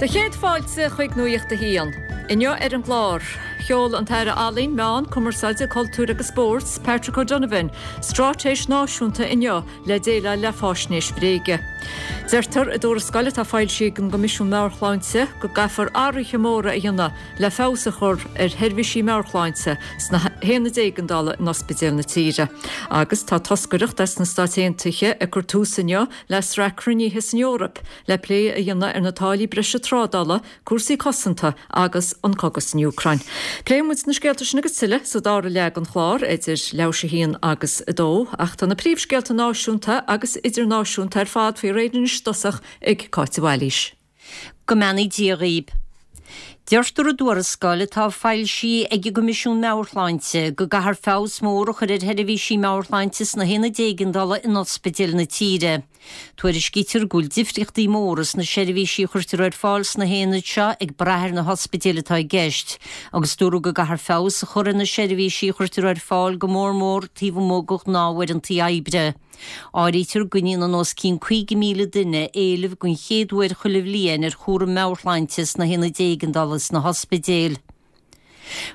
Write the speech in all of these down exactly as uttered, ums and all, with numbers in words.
Do chéad fáilte chuig Nuacht a hAon. Inniu ar an gclár, sheol an tAire Ealaíon, Meán, Cumarsáide, Cultúir agus Spóirt, Patrick O'Donovan, Straitéis náisiúnta inniu le déileáil le faisnéis bhréige. Deirtear i dtuarascáil atá foilsithe ag an gCoimisiún Meabhair-Shláinte go gcaithfear athruithe móra a dhéanamh le feabhas a chur ar sheirbhísí meabhairshláinte sna haonaid éigeandála in ospidéil na tíre. Agus tá toscaireacht as na Stáit Aontaithe ag cur tús inniu le sraith cruinnithe san Eoraip le plé a dhéanamh ar na táillí breise trádála, cúrsaí cosanta agus an cogadh san Úcráin. Pléifidh muid na scéalta sin agus tuilleadh sa dara leath den chlár idir leathuair tar éis a haon agus a dó, ach tá na príomhscéalta náisiúnta agus idirnáisiúnta ar fad faoi réir anois i dtosach ag Cáit de Bhailís. Go mbeannaí Dia dhaoibh. Deirtear i dtuarascáil atá foilsithe ag an gCoimisiún Meabhair-Shláinte go gcaithfear feabhas mór a chur ar sheirbhísí meabhairshláinte sna haonaid éigeandála in ospidéil na tíre. Tuairiscítear go bhfuil difríochtaí móra sna seirbhísí a chuirtear ar fáil sna haonaid seo ag brath ar na hospidéil atá i gceist, agus dúradh go gcaithfear feabhas a chur ar na seirbhísí a chuirtear ar fáil go mór mór taobh amuigh de ghnáthuaireanta oibre. Áirítear go ndéanann os cionn caoga míle duine éileamh den chéad uair chuile bhliain ar chúram meabhairshláinte sna haonaid éigeandála sna hospidéil.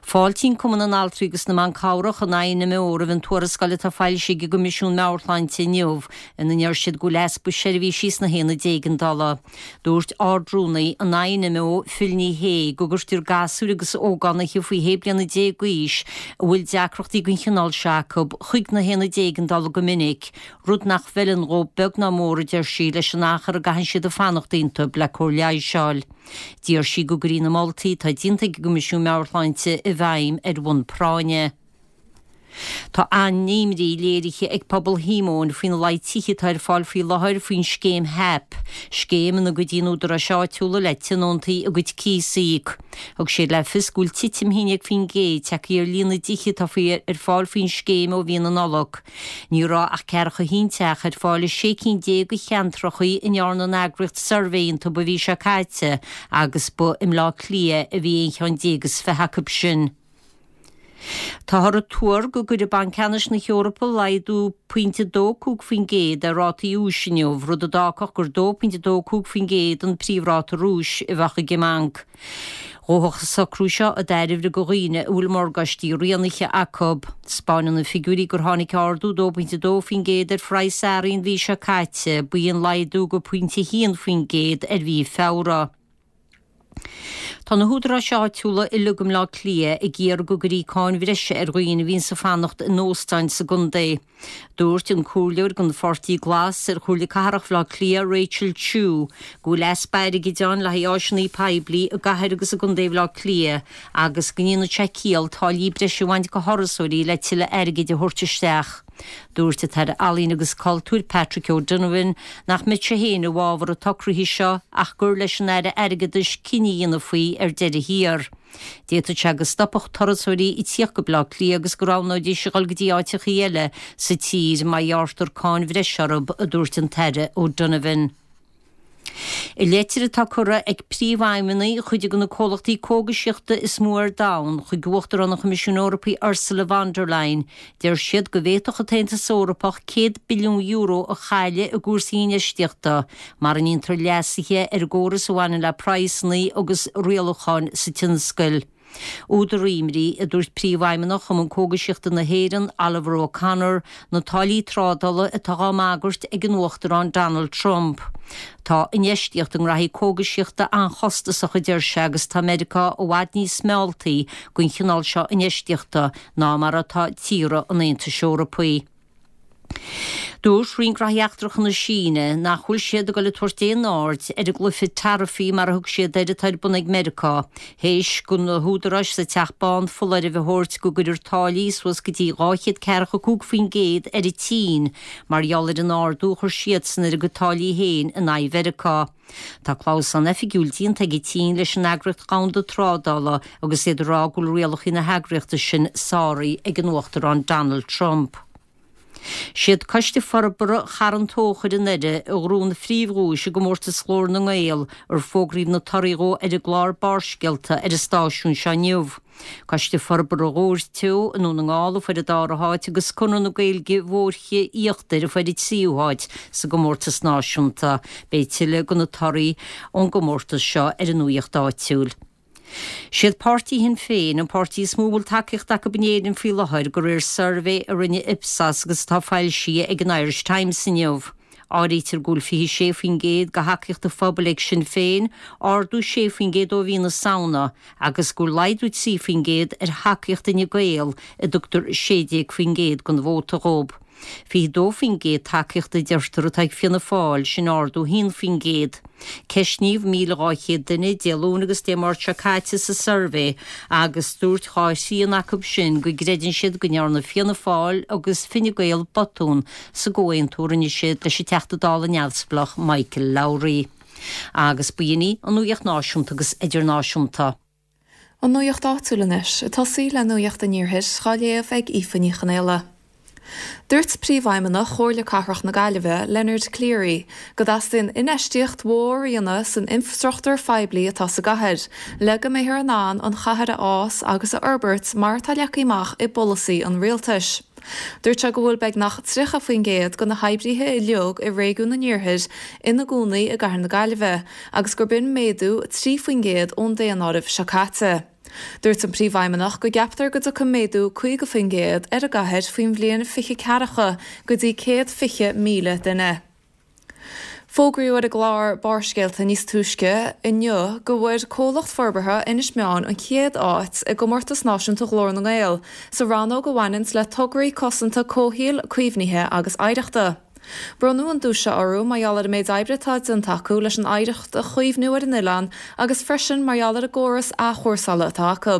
Fáiltíonn Cumann na nAltraí agus na mBan Cabhrach an I N M O roimh an tuarascáil atá foilsithe ag an gCoimisiún Meabhairshláinte inniu ina ndeir siad go bhfuil easpa seirbhísí sna haonaid éigeandála. Dúirt Ard-Rúnaí an I N M O Phil Ní Sheaghdha go gcuirtear gasúir agus ógánaithe faoi shé bliana déag d'aois a bhfuil deacrachtaí den chineál seo acu chuig na haonaid éigeandála go minic, rud nach bhfeileann dhóibh beag ná mór a deir sí leis an achar a gcaitheann siad ag fanacht iontu le cóir leighis a fháil. D'iarr sí go gcuirfí na moltaí atá déanta ag an gCoimisiún Meabhairshláinte i bhfeidhm ar bhonn práinne. Tá an-imní léirithe ag pobal Shíomóin faoina laghad tithe atá ar fáil faoi láthair faoin scéim HAP, scéim ina gcuidíonn údaráis áitiúla le tionóntaí a gcuid cíos a íoc. Thug siad le fios go bhfuil titim haon déag faoin gcéad tagtha ar líon na dtithe atá faoi ar fáil faoin scéim ó mhí na Nollag. Ní raibh ach ceathracha haon teach ar fáil i sé cinn déag de cheantracha a ndearna an eagraíocht suirbhé iontu an mhí seo caite agus ba i mBleá Cliath a bhí aon cheann déag is fiche acu sin. Táthar ag tuar go gcuirfidh Banc Ceannais na hEorpa laghdú pointe dó cúig faoin gcéad ar rátaí úis inniu, rud a d'fhágfadh gur dó pointe dó cúig faoin gcéad an príomhráta úis a bheadh ag an mbanc. Ghabhfadh an socrú seo i dtairbhe do dhaoine a bhfuil morgáistí rianaithe acu. Spáineann na figiúirí gur tháinig ardú dó pointe dó faoin gcéad ar phraghas earraí an mhí seo caite, ba í an laghdú go pointe haon faoin gcéad ar mhí Feabhra. Tá na húdaráis áitiúla uilig i mBleá Cliath ag iarraidh go gcuirfí cáin bhreise ar dhaoine a bhíonn ag fanacht in óstáin sa gcontae. Dúirt an comhairleoir don Pháirtí Glas ar Chomhairle Cathrach Bhaile Átha Cliath Rachel Chu go bhfuil easpa airgid ann le haghaidh áiseanna poiblí i gcathair agus i gcontae Bhaile Átha Cliath agus go ndéanfadh sé ciall táillí breise a bhaint de thurasóirí le tuilleadh airgid a thabhairt isteach. Dúirt an tAire Ealaíon agus Cultúir Patrick O'Donovan nach mbeadh sé féin i bhfabhar an tsocraithe seo ach gur leis an Aire Airgeadais cinneadh a dhéanamh faoi ar deireadh thiar. D'fhéadfadh sé go stopfadh turasóirí ag tíocht go Bleá Cliath agus go roghnóidís a dhul go dtí áiteachaí eile sa tír má ghearrtar cáin bhreise orthu, a dúirt an tAire O'Donovan. I leitir atá curtha ag príomhfheidhmeannaigh chuid de na comhlachtaí cógaisíochta is mó ar domhan chuig Uachtarán an Choimisiúin Eorpaigh Ursula von der Leyen, deir siad go bhféadfadh an tAontas Eorpach céad billiún euro a chailleadh i gcúrsaí infheistíochta, mura ndéantar leasuithe ar an gcóras a bhaineann le praghsanna agus rialúcháin sa tionscal. Údar imní a dúirt príomhfheidhmeannach Chumann Cógaisíochta na hÉireann Oliver O'Connor na táillí trádála atá á mbagairt ag an Uachtarán Donald Trump. Tá infheistíocht i ngraithí cógaisíochta an-chostasach a deir sé agus tá Meiriceá i bhfad níos mealltaí don chineál seo infheistíochta ná mar atá tíortha an Aontais Eorpaigh. Dúirt Roinn Gnóthaí Eachtracha na Síne nach bhfuil siad ag dul ag tabhairt aon aird ar an gcluiche taraifí mar a thug siad air atá ar bun ag Meiriceá, théis do na húdaráis sa Teach Bán foláireamh a thabhairt go gcuirfear táillí suas go dtí dhá chéad ceathracha cúig faoin gcéad ar an tSín, mar gheall ar an ardú a chuir siadsan ar a gcuid táillí féin in aghaidh Mheiriceá. Tá clamhsán oifigiúil déanta ag an tSín leis an eagraíocht dhomhanda trádála agus iad ag rá go bhfuil rialacha na heagraíochta sin sáraithe ag an Uachtarán Donald Trump. Siad Coiste Forbartha Charn Tóchair i nDoire a ghnóthaigh an phríomhdhuais i gcomórtas Ghlór na nGael ar fógraíodh na torthaí dhó ar an gclár Barrscéalta ar an stáisiún seo inniu. Coiste Forbartha Dhobhair Teo i nDún na nGall a fuair an dara háit agus Conradh na Gaeilge Bhóirche Íochtair a fuair an tríú háit sa gcomórtas náisiúnta. Beidh tuilleadh de na torthaí ón gcomórtas seo ar an nuacht áitiúil. Siad páirtí Shinn Féin an páirtí is mó a bhfuil tacaíocht acu in Éirinn faoi láthair de réir suirbhé a rinne Ipsos agus atá foilsithe ag an Irish Times inniu. Áirítear go bhfuil fiche sé faoin gcéad de thacaíocht an phobail ag Sinn Féin, ardú sé faoin gcéad ó mhí na Samhna, agus go bhfuil laghdú trí faoin gcéad ar thacaíocht Fhine Gael, a dtugtar sé déag faoin gcéad den vóta dhóibh. Fiche dó faoin gcéad tacaíochta a deirtear atá ag Fianna Fáil, sin ardú haon faoin gcéad. Ceistníodh míle dhá chéad duine Dé Luain agus Dé Máirt seo caite sa suirbhé agus dúirt dhá thrian acu sin go gcreideann siad go ndearna Fianna Fáil agus Fine Gael botún sa gcomhaontú a rinne siad leis an Teachta Dála neamhspleách Michael Lowry. Agus b'in í an nuacht náisiúnta agus idirnáisiúnta. An nuacht áitiúil anois, ag tosaí le nuacht an iarthair á léamh ag Aoife Ní Chonaola. Dúirt Príomhfheidhmeannach Chomhairle Cathrach na Gaillimhe, Leonard Cleary, go dteastaíonn infheistíocht mhór a dhéanamh san infreastruchtúr phoiblí atá sa gcathair, le go mbeifear in ann an chathair a fhás agus a fhorbairt mar atá leagtha amach i bpolasaí an rialtais. Dúirt sé go bhfuil beagnach tríocha faoin gcéad de na hoibrithe uilig i réigiún an Iarthair ina gcónaí i gcathair na Gaillimhe agus gurb in méadú trí faoin gcéad ón daonáireamh seo caite. Dúirt an príomhfheidhmeannach go gceaptar go dtiocfaidh méadú caoga faoin gcéad ar an gcathair faoin bhliain fiche ceathracha go dtí céad fiche míle duine. Fógraíodh ar an gclár Barrscéalta níos túisce inniu go bhfuair comhlacht forbartha Inis Meáin an chéad áit i gcomórtas náisiúnta Ghlór na nGael sa rannóg a bhaineann le tograí cosanta comhshaoil, caomhnaithe agus oidhreachta. Bronnadh an duais seo orthu mar gheall ar an méid oibre atá déanta acu leis an oidhreacht a chaomhnú ar an oileán agus freisin mar gheall ar an gcóras athchúrsála atá acu.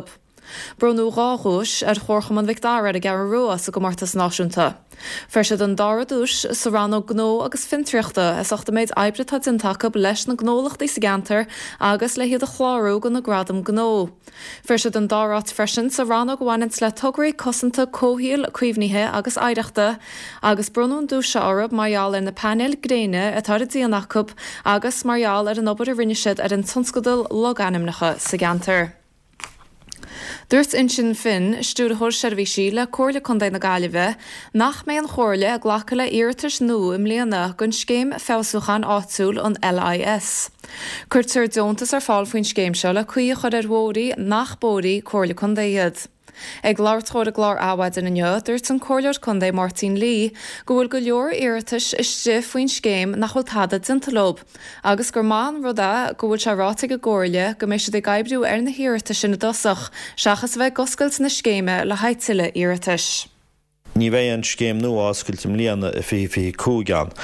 Bronnadh dhá dhuais ar Chomharchumann Mhic Dara ar an gCeathrú Rua sa gcomórtas náisiúnta. Fuair siad an dara duais sa rannóg gnó agus fiontraíochta as ucht an méid oibre atá déanta acu leis na gnólachtaí sa gceantar agus le hiad a chlárú do na gradaim gnó. Fuair siad an dara háit freisin sa rannóg a bhaineann le tograí cosanta comhshaoil, caomhnaithe agus oidhreachta, agus bronnadh an duais seo orthu mar gheall ar na painéil gréine atá ar a díon acu agus mar gheall ar an obair a rinne siad ar an tionscadal logainmneacha sa gceantar. Dúirt Uinseann Finn, Stiúrthóir Seirbhísí le Comhairle Contae na Gaillimhe, nach mbeidh an Chomhairle ag glacadh le hiarratais nua i mbliana don scéim feabhsúcháin áitiúil an LIS. Cuirtear deontas ar fáil faoin scéim seo le caoi a chur ar bhóithre nach bóithre Comhairle Contae iad. Ag labhairt dó ar an gclár Adhmhaidin inniu, dúirt an Comhairleoir Contae Máirtín Lee go bhfuil go leor iarratais istigh faoin scéim nach bhfuil tada déanta leo, agus gur maith an rud é go bhfuil sé ráite ag an gComhairle go mbeidh siad ag oibriú ar na hiarratais sin i dtosach, seachas a bheith ag oscailt na scéime le haghaidh tuilleadh iarratais. Ní bheidh an scéim nua oscailte i mbliana i fiche fiche cúig ann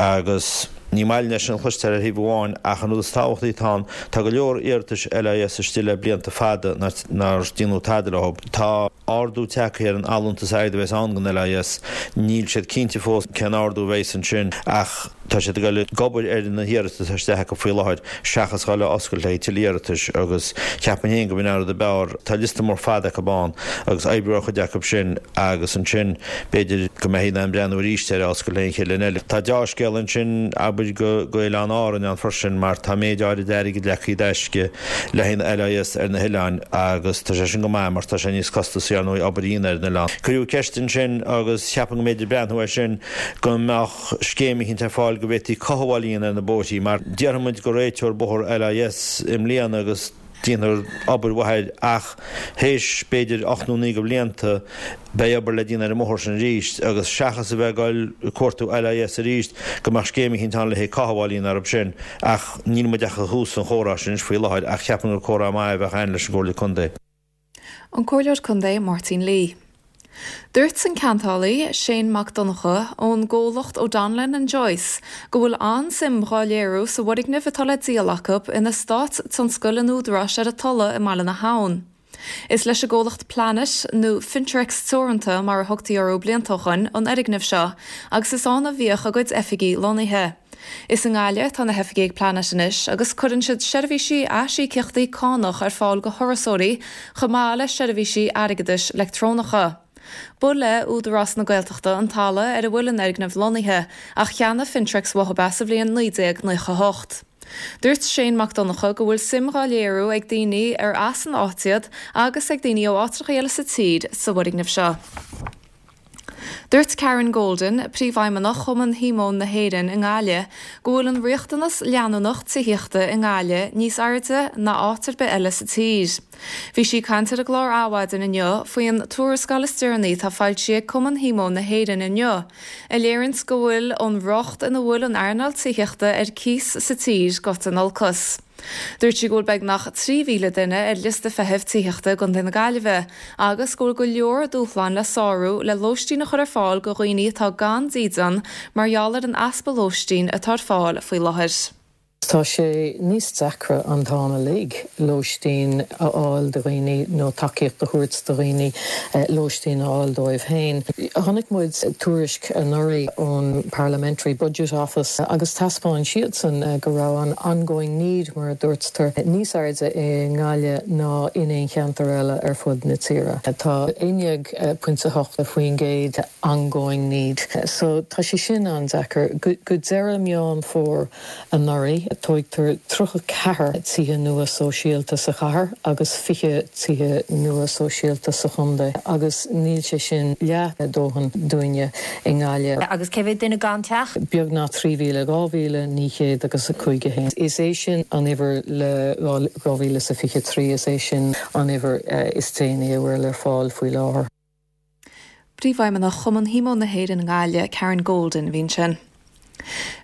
agus ní maith linn é sin a chloisteáil ar thaobh amháin ach an rud is tábhachtaí atá ann, tá go leor iarratais LIS istigh le blianta fada nár déanadh tada leo. Tá ardú tagtha ar an allúntas airgid a bheas ann don LIS. Níl siad cinnte fós cén ardú a bheas ansin ach tá siad ag dul ag obair ar na hiarratais atá isteach acu faoi láthair seachas dhul a oscailt le haghaidh tuilleadh iarratais agus cheapfainn féin go b'in an rud ab fhearr. Tá liosta mór fada acu ann agus oibriú ar chuid acu sin agus ansin b'fhéidir go mbeifí in ann breathnú arís ar oscailt le haon chéile eile. Tá deá-scéal ansin abair go go Oileáin Árann ann freisin mar tá méid áirid airgid leagtha i dtaisce le haghaidh na LIS ar na hoileáin agus tá sé sin go maith mar tá sé níos costasaí ar ndóigh obair a dhéanamh ar an oileán. Cuireadh ceist ansin agus cheapfainn go mb'fhéidir breathnú air sin go mbeadh scéim eicínt ar fáil go bhféadfaí cothabháil a dhéanamh ar na bóithrí mar déarfaidh muid go réiteofar bóthar LIS i mbliana agus déanfar obair mhaith air ach théis b'fhéidir ocht nó naoi de bhlianta beidh obair le déanamh ar an mbóthar sin arís agus seachas a bheith ag dul ag cuartú LIS arís go mbeadh scéim eicínt ann le haghaidh cothabháil a dhéanamh orthu sin ach níl muid ach ag tús an chomhrá sin anois faoi láthair ach cheapfainn gur comhrá maith a bheadh ann leis an gComhairle Contae. An Comhairleoir Contae Máirtín Lee. Dúirt an ceantálaí, Shane Mac Donncha, ón gcomhlacht O'Donnellan and Joyce, go bhfuil an-suim dhá léiriú sa bhfoirgneamh atá le díol acu in eastát tionscail an Údaráis ar an Tulaigh i mBaile na hAbhann. Is leis an gcomhlacht Planet, nó Fintrex Teoranta mar a thugtaí orthu blianta ó shoin, an fhoirgneamh seo agus is ann a bhíodh a gcuid oifigí lonnaithe. Is i nGaillimh atá na hoifigí ag Planet anois agus cuireann siad seirbhísí aisíocaíochtaí cánach ar fáil go thurasóirí chomh maith le seirbhísí airgeadais leictreonacha. Ba le Údarás na Gaeltachta an talamh ar a bhfuil an fhoirgneamh lonnaithe ach cheannaigh Fintrex uathu é sa bhliain naoi déag nócha a hocht. Dúirt Shane Mac Donncha go bhfuil suim dhá léiriú ag daoine ar as an áit iad agus ag daoine ó áiteacha eile sa tír sa bhfoirgneamh seo. Dúirt Karen Golden, Príomhfheidhmeannach Chumann Shíomóin na hÉireann i nGaillimh, go bhfuil an riachtanas leanúnach tithíochta i nGaillimh níos airde ná áit ar bith eile sa tír. Bhí sí ag caint ar an gclár Adhmhaidin inniu faoin tuarascáil is deireanaí atá foilsithe ag Cumann Shíomóin na hÉireann inniu, a léiríonns go bhfuil an riocht ina bhfuil an earnáil tithíochta ar cíos sa tír gaibhte in olcas. Dúirt sí go bhfuil beagnach trí mhíle duine ar liosta feithimh tithíochta i gContae na Gaillimhe agus go bhfuil go leor dúshlán le sárú le lóistín a chur ar fáil go dhaoine atá gan dídean mar gheall ar an easpa lóistín atá ar fáil faoi láthair. Tá sé níos deacra an t-am uilig lóistín a fháil do dhaoine nó tacaíocht a thabhairt do dhaoine lóistín a fháil dóibh féin. Chonaic muid tuairisc anuraidh ón Parliamentary Budget Office agus thaispeáin siadsan go raibh an ongoing need mar a dúirtear níos airde i nGaillimh ná in aon cheantar eile ar fud na tíre. Tá aon déag pointe hocht faoin gcéad ongoing need. So tá sé sin an-deacair go deireadh Meán Fómhair anuraidh. Tógtar tríocha ceathair tithe nua sóisialta sa chathair agus fiche tithe nua sóisialta sa chontae agus níl sé sin leath a dóthain dúinne i nGaillimh. Agus cé mhéad duine gan teach? Beagnach trí mhíle, dhá mhíle naoi chéad agus a cúig a haon. Is é sin an uimhir le dhá mhíle is a fiche trí, is é sin an uimhir is déanaí a bhfuil ar fáil faoi láthair. Príomhfheidhmeannach Chumann Shíomóin na hÉireann i nGaillimh, Karen Golden, a bhí ansin.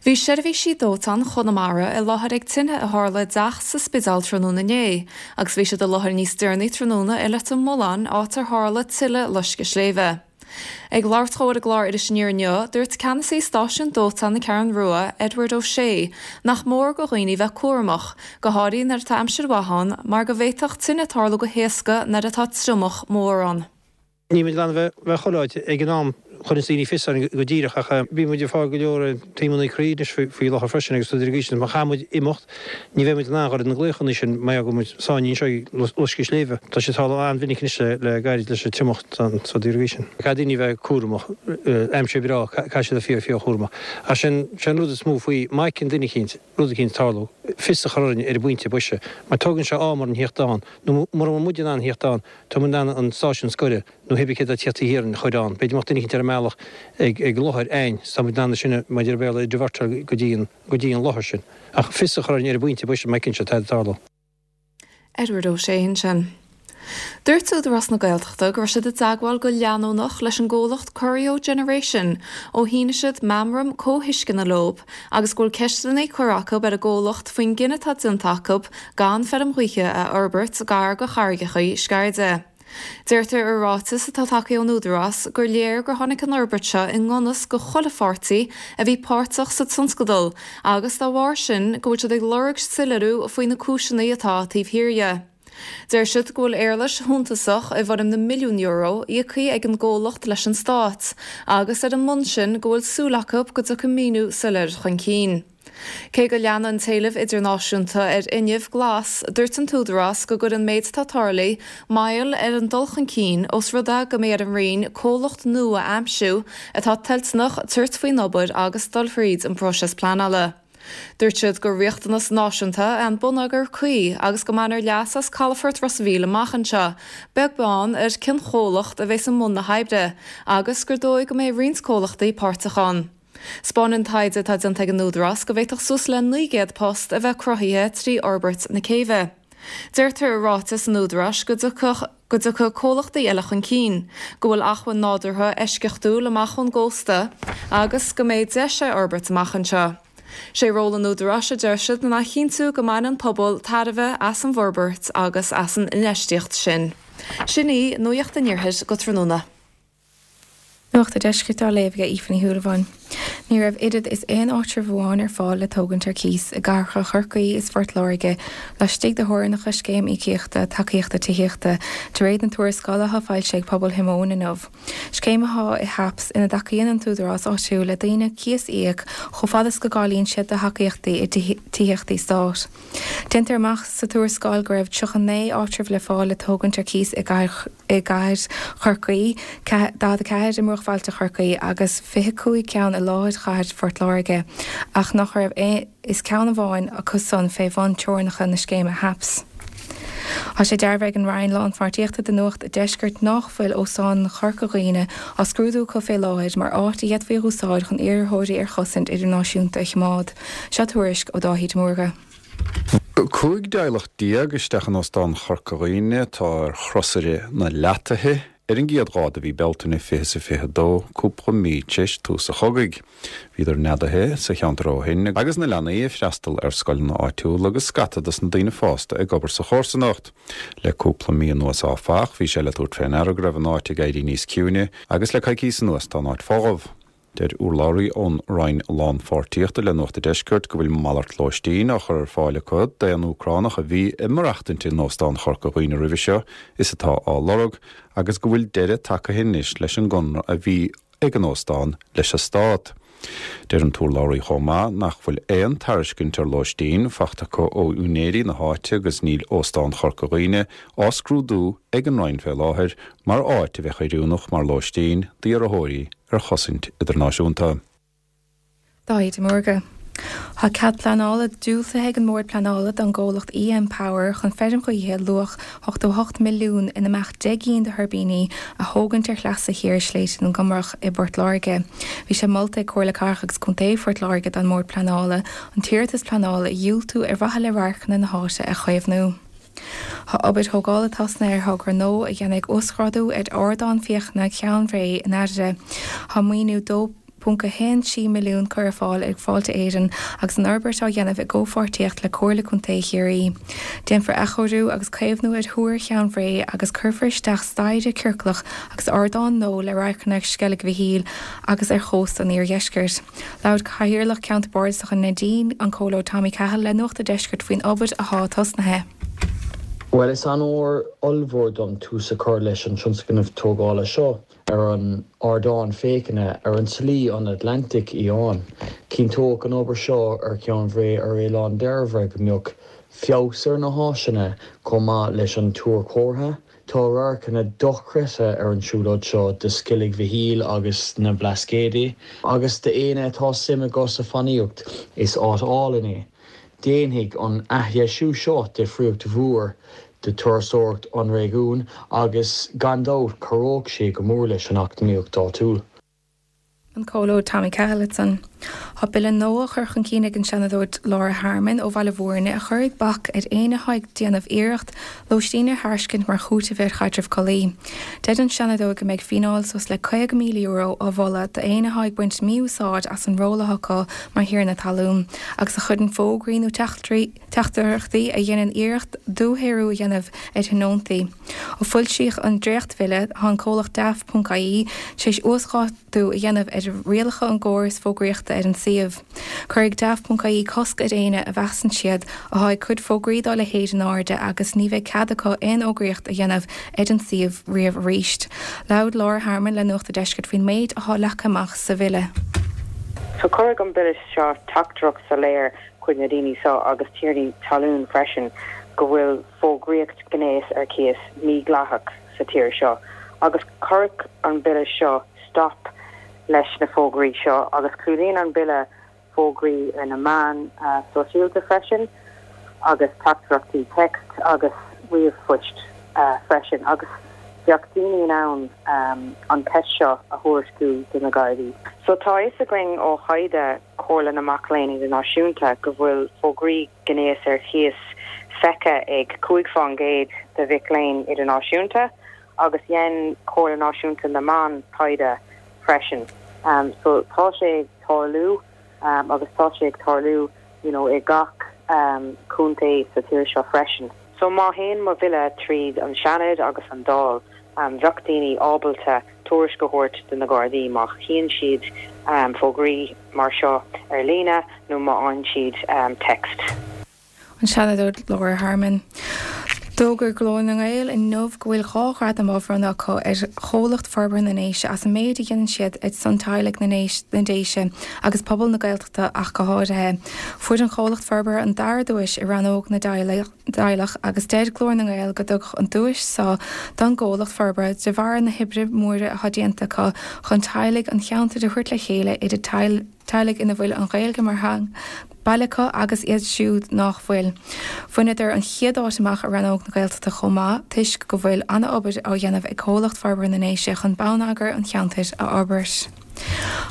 Bhí seirbhísí dóiteáin Chonamara i láthair ag tine a tharla i dteach sa Spidéal tráthnóna inné agus bhí siad i láthair níos deireanaí tráthnóna i Leitir Mealláin áit ar tharla tuile loisceadh sléibhe. Ag labhairt dó ar an gclár Iris Aniar inniu, dúirt ceannasaí stáisiún dóiteáin na Ceathrún Rua, Edward O'Shea, nach mór go dhaoine bheith cúramach, go háirithe nuair atá aimsir mhaith ann, mar go bhféadfadh tine tarlú go héasca nuair atá triomach mór ann. Níl muid in ann a bheith chuile áit ag an am, chuireann daoine fios orainn go díreach ach bíonn muid ag fáil go leor taomanna croí anois faoi láthair freisin agus rudaí mar sin. Má chaithfidh muid imeacht, ní bheidh muid in ann dhul ar na glaochanna sin mar gheall go bhfuil muid sáinnithe anseo ag loisceadh sléibhe. Tá sé ag tarlú an-mhinic anois le gairid leis an triomach agus rudaí mar sin. Caithfidh daoine a bheith cúramach, aimsir breá, caithfidh siad a bheith fíor fíor chúramach. Ach sin an rud is mó faoi, má fheiceann duine eicínt rud eicínt ag tarlú, fios a chur orainn ar an bpointe boise, mar tógann sé am orainn theacht ann, nó mura bhfuil muid in ann theacht ann, tá muid in ann an stáisiún scoire nó pé cé atá ag tíocht taobh thiar a chur ann. B'fhéidir go mbeadh duine eicínt ar an mbealach ag ag láthair againn, tá muid in ann sin mar a deir Béarla divertáil go dtí an go dtí an láthair sin. Ach fios a chur orainn ar an bpointe boise má fheiceann siad tada ag tarlú. Edward O'Shea ansin. Dúirt Údarás na Gaeltachta go raibh siad i dteagmháil go leanúnach leis an gcomhlacht Corio Generation ó shínigh siad meamram comhthuisceana leo agus go bhfuil ceisteanna curtha acu ar an gcomhlacht faoin gcinneadh atá déanta acu gan feirm ghaoithe a fhorbairt gar go charraigeacha Sceirde. Deirtear i ráiteas atá tagtha ón Údarás gur léir gur tháinig an fhorbairt seo i ngan fhios go chuile pháirtí a bhí páirteach sa tionscadal agus dá bharr sin go bhfuil siad ag lorg soiléiriú faoi na cúiseanna atá taobh thiar dhe. Deir siad go bhfuil éarlais shuntasach i bhfoirm na milliún euro íoctha ag an gcomhlacht leis an stát agus ar an mbonn sin go bhfuil súil acu go dtiocfaidh míniú soiléir chun cinn. Cé go leanann an t-éileamh idirnáisiúnta ar fhuinneamh glas, dúirt an tÚdarás go gcuireann an méid atá tarlaithe moill ar an dul chun cinn ós rud é go mbeidh ar an Roinn comhlacht nua a aimsiú atá toilteanach tabhairt faoin obair agus dul thríd an bpróiseas pleanála. Dúirt siad gur riachtanas náisiúnta é an bonneagar cuí agus go mbainfear leas as calafort Ros a' Mhíl amach anseo, beag beann ar cén chomhlacht a bheas i mbun na hoibre, agus gur dóigh go mbeidh roinnt comhlachtaí páirteach ann. 'Spáineann taighde atá déanta ag an Údarás go bhféadfadh suas le naoi gcéad post a bheith cruthaithe trí fhorbairt na céibhe. Deirtear i ráiteas an Údaráis go dtiocfadh go dtiocfaidh comhlachtaí eile chun cinn, go bhfuil acmhainn nádúrtha eisceachtúil amach ón gcósta agus go mbeidh deis é a fhorbairt amach anseo. Sé ról an Údaráis, a deir siad, ná a chinntiú go mbaineann an pobal tairbhe as an bhforbairt agus as an infheistíocht sin. Sin í Nuacht an Iarthair go tráthnóna. Nuacht an Deiscirt á léamh ag Aoife Ní Shúilleabháin. Ní raibh oiread is aon áitreabh amháin ar fáil le tógaint ar cíos i gcathracha Chorcaí is Phort Láirge laistigh de theorainneacha Scéim Íocaíochta Tacaíochta Tithíochta, de réir na tuarascála atá foilsithe ag Pobal Thigh Mhóin inniu. Scéim atá i HAPS ina dtacaíonn an t-údarás áitiúil le daoine cíos a íoc chomh fada is go gcáilíonn siad do thacaíochtaí i dtithíochtaí stáit. Déantar amach sa tuarascáil go raibh tríocha naoi áitreabh le fáil le tógaint ar cíos i gcathair Chorcaí, daichead a ceathair i mbruachbhailte Chorcaí agus fiche cúig ceann i lár chathair Phort Láirge, ach nach raibh is ceann amháin acu san fé bhun teorainneacha na scéime HAPS. Tá sé dearbhaithe ag an Roinn Lánpháirtíochta do Nuacht an Deiscirt nach bhfuil Óstán Chorca Dhuibhne á scrúdú acu fé láthair mar áit a d'fhéadfaí a úsáid chun iarrthóirí ar chosaint idirnáisiúnta a choimeád. Seo tuairisc ó Dáithí de Mórdha. Cúig dteaghlach déag isteach in Óstán Chorca Dhuibhne atá ar chrosaire na leataithe ar an gcéad lá de mhí Bealtaine fiche is a fiche dó, cúpla mí tar éis tús an chogaidh. Bhíodar neadaithe sa cheantar ó shin agus na leanaí ag freastal ar scoileanna áitiúla agus scata dos na daoine fásta ag obair sa chomharsanacht. Le cúpla mí anuas áfach, bhí sé le tabhairt fé ndeara go raibh an áit ag éirí níos ciúine agus le coicís anuas tá an áit folamh. Deir urlabhraí ón Roinn Lánpháirtíochta le Nuacht an Deiscirt go bhfuil malairt lóistín á chur ar fáil acu d'aon Úcránach a bhí ag maireachtaint in Óstán Chorca Dhuibhne roimhe seo is atá á lorg agus go bhfuil deireadh tagtha anois leis an gconradh a bhí ag an óstán leis an stát. Deir an t-urlabhraí chomh maith nach bhfuil aon tairiscint ar lóistín faighte acu ó úinéirí na háite agus níl Óstán Chorca Dhuibhne á scrúdú ag an Roinn fé láthair mar áit a bheadh oiriúnach mar lóistín d'iarrthóirí ar chosaint idirnáisiúnta. Dáithí de Mórdha. Tá cead pleanála diúltaithe ag an mBord Pleanála don gcomhlacht EM Power chun feirm ghaoithe luach ochtó a hocht milliún ina mbeadh deich gcinn de thuirbíní a thógaint ar shleasa thiar Shléibhte na gComrach i bPort Láirge. Bhí sé molta ag Comhairle Cathrach agus Contae Phort Láirge don mBord Pleanála an t-iarratas pleanála a dhiúltú ar mhaithe le radharcanna na háite a chaomhnú. Tá obair thógála tosnaithe ar thogra nua a dhéanfaidh uasghrádú ar ardán féachana Cheann Bhré in Airdrie. Tá maoiniú dó ponc a haon trí milliún curtha ar fáil ag Fáilte Éireann agus an fhorbairt á dhéanamh i gcomhpháirtíocht le Comhairle Contae Chiarraí. Déanfar athchóiriú agus caomhnú ar Thúr Cheann Bhré agus cuirfear isteach staighre ciorclach agus ardán nua le radharcanna ar Sceilg Mhichíl agus ar chósta an iardheiscirt. Labhair Cathaoirleach Ceantar Bardasach na Neidín, an Comhairleoir Tommy Cahill le Nuacht an Deiscirt faoin obair atá tosnaithe. Bhuel, is onóir ollmhór dom tús a chur leis an tionscnamh tógála seo ar an ardán féachana ar an tSlí an Atlantaigh Fhiáin. Cinnteoidh an obair seo ar Cheann Bhré ar Oileán Dairbhre go mbeadh feabhas ar na háiseanna chomh maith leis an túr comhartha. Tá radharcanna dochreidte ar an siúlóid seo de Sceilg Mhichíl agus na Blascaodaí, agus d'éinne atá suim acu sa fánaíocht, is áit álainn é. Déanfaidh an athdheisiú seo difríocht mhór do turasóireacht an réigiúin agus gan dabht cabhróidh sé go mór leis an eacnamaíocht áitiúil. An Comhairleoir Tommy Cahill ansan. Tá bille nua á chur chun cinn ag an Seanadóir Laura Harmon ó Bhaile Bhúirne a chuirfidh bac ar éinne atá ag déanamh iarracht lóistín a thairiscint mar chúiteamh ar chaidreamh collaí. Deir an Seanadóir go mbeidh fíneáil suas le caoga míle euro á mholadh d'éinne atá ag baint mí-úsáid as an ról atá acu mar thiarna talún agus a chuireann fógraí nó teachtaireachtaí a dhéanann iarracht dúshaothrú a dhéanamh ar thionóntaí. Ó foilsíodh an dréachtbhille, tá an comhlacht Daft.ie tar éis uasdátú a dhéanamh ar rialacha an gcóras fógraíochta ar an suíomh. Cuirfidh Daft.ie cosc ar éinne a mheasann siad atá ag cur fógraí dá leithéid in airde agus ní bheidh cead acu aon fhógraíocht a dhéanamh ar an suíomh riamh arís. Labhair Laura Harmon le Nuacht an Deiscirt faoin méid atá leagtha amach sa bhille. So cuirfidh an bille seo teachtaireacht soiléir chuig na daoine seo agus tiarnaí talún freisin go bhfuil fógraíocht gnéas ar cíos mídhleathach sa tír seo agus cuirfidh an bille seo stop leis na fógraí seo agus clúdaíonn an bille fógraí ar na meáin sóisialta freisin agus teachtaireachtaí text agus ríomhphoist freisin agus bheadh daoine in ann an cheist seo a thuairisciú do na Gardaí. So tá a fhios againn ó thaighde Chomhairle na Mac Léinn Idirnáisiúnta go bhfuil fógraí gnéas ar chíos feicthe ag cúig faoin gcéad de mhic léinn idirnáisiúnta agus dhein Comhairle Náisiúnta na mBan taighde freisin. Um, so tá sé ag tarlú um, agus tá sé ag tarlú you know, i gach um, contae sa tír seo freisin. So má théann mo bhille tríd an Seanad agus an Dáil, um, bheadh daoine ábalta tuairisc a thabhairt do na Gardaí má chíonn siad fógraí mar seo ar líne nó má fhaigheann siad text. An Seanadóir Laura Harmon. D'fhógair Glór na nGael inniu go bhfuil dhá ghradam á bhronnadh acu ar Chomhlacht Forbartha na nDéise as an méid a dhéanann siad ar son teaghlaigh na na nDéise agus pobal na Gaeltachta ach go háirithe. Fuair an Comhlacht Forbartha an dara duais i rannóg na dteaghlach agus deir Glór na nGael go dtugadh an duais seo don gComhlacht Forbartha de bharr na hoibre móire atá déanta acu chun teaghlaigh an cheantair a thabhairt le chéile idir teaghlaigh ina bhfuil an Ghaeilge mar theanga baile acu agus iad siúd nach bhfuil. Bhaineadar an chéad áit amach i rannóg na Gaeltachta chomh maith toisc go bhfuil an-obair á dhéanamh ag Comhlacht Forbartha na nDéise chun bonneagar an cheantair a fhorbairt.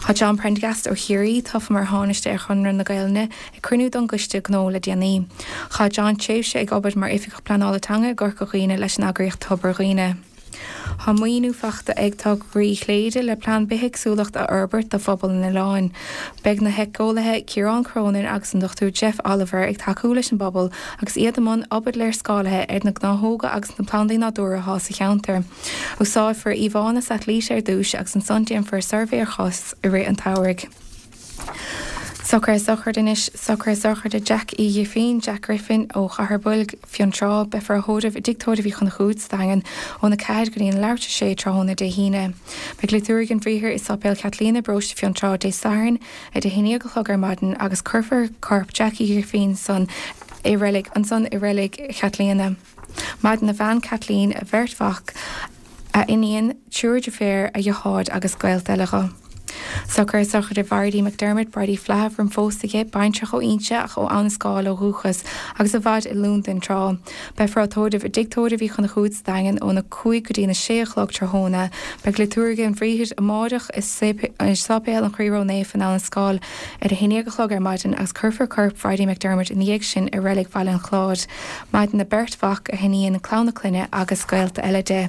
Tá John Prendergast ó Chiarraí tofa mar Thánaiste ar Chonradh na Gaelainne ag cruinniú don gCoiste Gnó le déanaí. Chaith John tréimhse ag obair mar Oifigeach Pleanála Teanga i gCorca Dhuibhne leis an eagraíocht Tobar Dhuibhne. Tá maoiniú faighte ag Tograí Chléire le plean bithéagsúlachta a fhorbairt do phobal an oileáin. Beidh na héiceolaithe Ciarán Cronin agus an Dochtúir Jeff Oliver ag tacú leis an bpobal agus iad i mbun obair léarscáilithe ar na gnáthóga agus na plandaí nádúrtha atá sa cheantar. Úsáidfear íomhánna satailíte ar dtús agus ansan déanfar suirbhé ar chos i rith an tsamhraidh. Socruithe sochraide anois, socruithe sochraide Jack Uí Ghrifín, Jack Griffin, ó Chathair Boilg, Fionntrá, Beifear á thórramh i dTigh Tórraimh Uí Chonchúir sa Daingean óna ceathair go dtí an leathuair tar éis a sé tráthnóna Dé hAoine. Beidh liotúirge an Bhriathair i Sáipéal Chaitlíona, Paróiste Fionntrá, Dé Sathairn ar a haon déag a chlog ar maidin agus cuirfear corp Jack Uí Ghrifín san i reilig ansan i reilig Chaitlíona. Maireann a bhean Kathleen, a bheirt mhac, a iníon, triúr deirféar, a dheartháir agus gaolta eile dho. Socruithe sochraide Bhridie McDermott, Bridie Flaithimh, roim phósadh di, baintreach ó Inse ach ó Abha na Scáil ó dhúchas agus i bhfad i Londain tráth. Beifear á tórramh i dTigh Tórraimh Uí Chonchúir sa Daingean óna cúig go dtí na sé a chlog tráthnóna. Beidh liotúirge an Bhriathair amáireach i Sáipéal an Chroí Ró-Naofa in Abha na Scáil ar a haon déag a chlog ar maidin agus cuirfear corp Bhridie McDermott ina dhiaidh sin i reilig Bhaile an Chláir. Maireann a beirt mhac, a hiníon, clann a clainne agus gaolta eile di.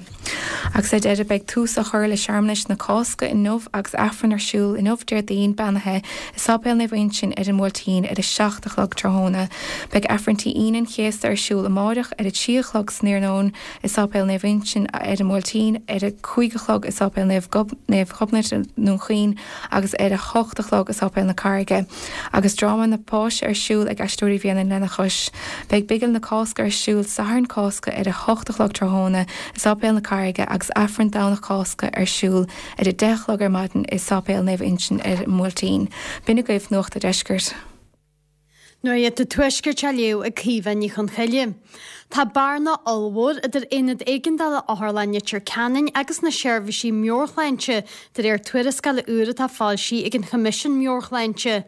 Agus ar deireadh beidh tús á chur le searmanais na Cásca inniu agus Aifreann ar siúl inniu Déardaoin beannaithe i Sáipéal Naomh Uinseann ar an mBuailtín ar a seacht a chlog tráthnóna. Beidh Aifrinntí Aoine an Chéasta ar siúl amáireach ar a trí a chlog san iarnóin i Sáipéal Naomh Uinseann ar an mBuailtín, ar a cúig a chlog i Sáipéal Naomh Naomh Gobnait i nDún Chaoin agus ar a hocht a chlog i Sáipéal na Carraige. Agus dráma na Páise ar siúl ag Aisteoirí Bhréanainn lena chois. Beidh Bigil na Cásca ar siúl Satharn Cásca ar a hocht a chlog tráthnóna i Sáipéal na Carraige agus Aifreann Domhnach Cásca ar siúl ar a deich a chlog ar maidin i Sáipéal Naomh Uinseann ar an mBuailtín. B'in agaibh Nuacht an Deiscirt. Nuacht an Tuaiscirt á léamh ag Caoimhe Ní Chonchoille. Tá bearna ollmhór idir Aonad Éigeandála Otharlann Leitir Ceanainn agus na seirbhísí meabhairshláinte, de réir tuarascála úr atá foilsithe ag an Choimisiún Meabhair-Shláinte.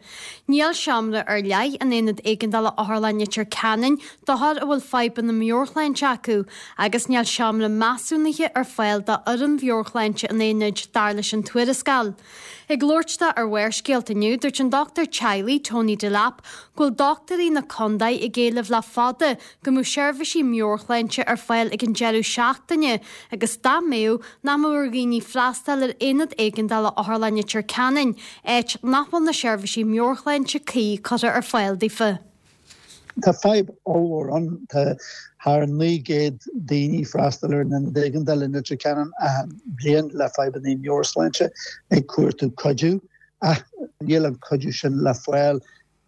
Níl seomra ar leith in Aonad Éigeandála Otharlann Leitir Ceanainn d'othair a bhfuil fadhbanna meabhairshláinte acu agus níl seomra measúnaithe ar fáil d'fhoireann mheabhairshláinte an aonaid, dar leis an tuarascáil. Ag labhairt dó ar Bharrscéalta inniu, dúirt an dochtúir teaghlaigh, Tony Delap, go bhfuil dochtúirí na contae ag éileamh le fada go mbeadh seirbhísí meabhairshláinte ar fáil ag an deireadh seachtaine agus dá mbeadh, nach mbeadh ar dhaoine freastal ar Aonad Éigeandála Otharlann Leitir Ceanainn, áit nach bhfuil na seirbhísí meabhairshláinte cuí curtha ar fáil daofa. Tá fadhb ollmhór ann. Tá thar naoi gcéad daoine freastal ar an Ionad Éigeandála in Leitir Ceanainn achan bhliain le fadhbanna meabhairshláinte ag cuartú cuidiú ach níl an cuidiú sin le fáil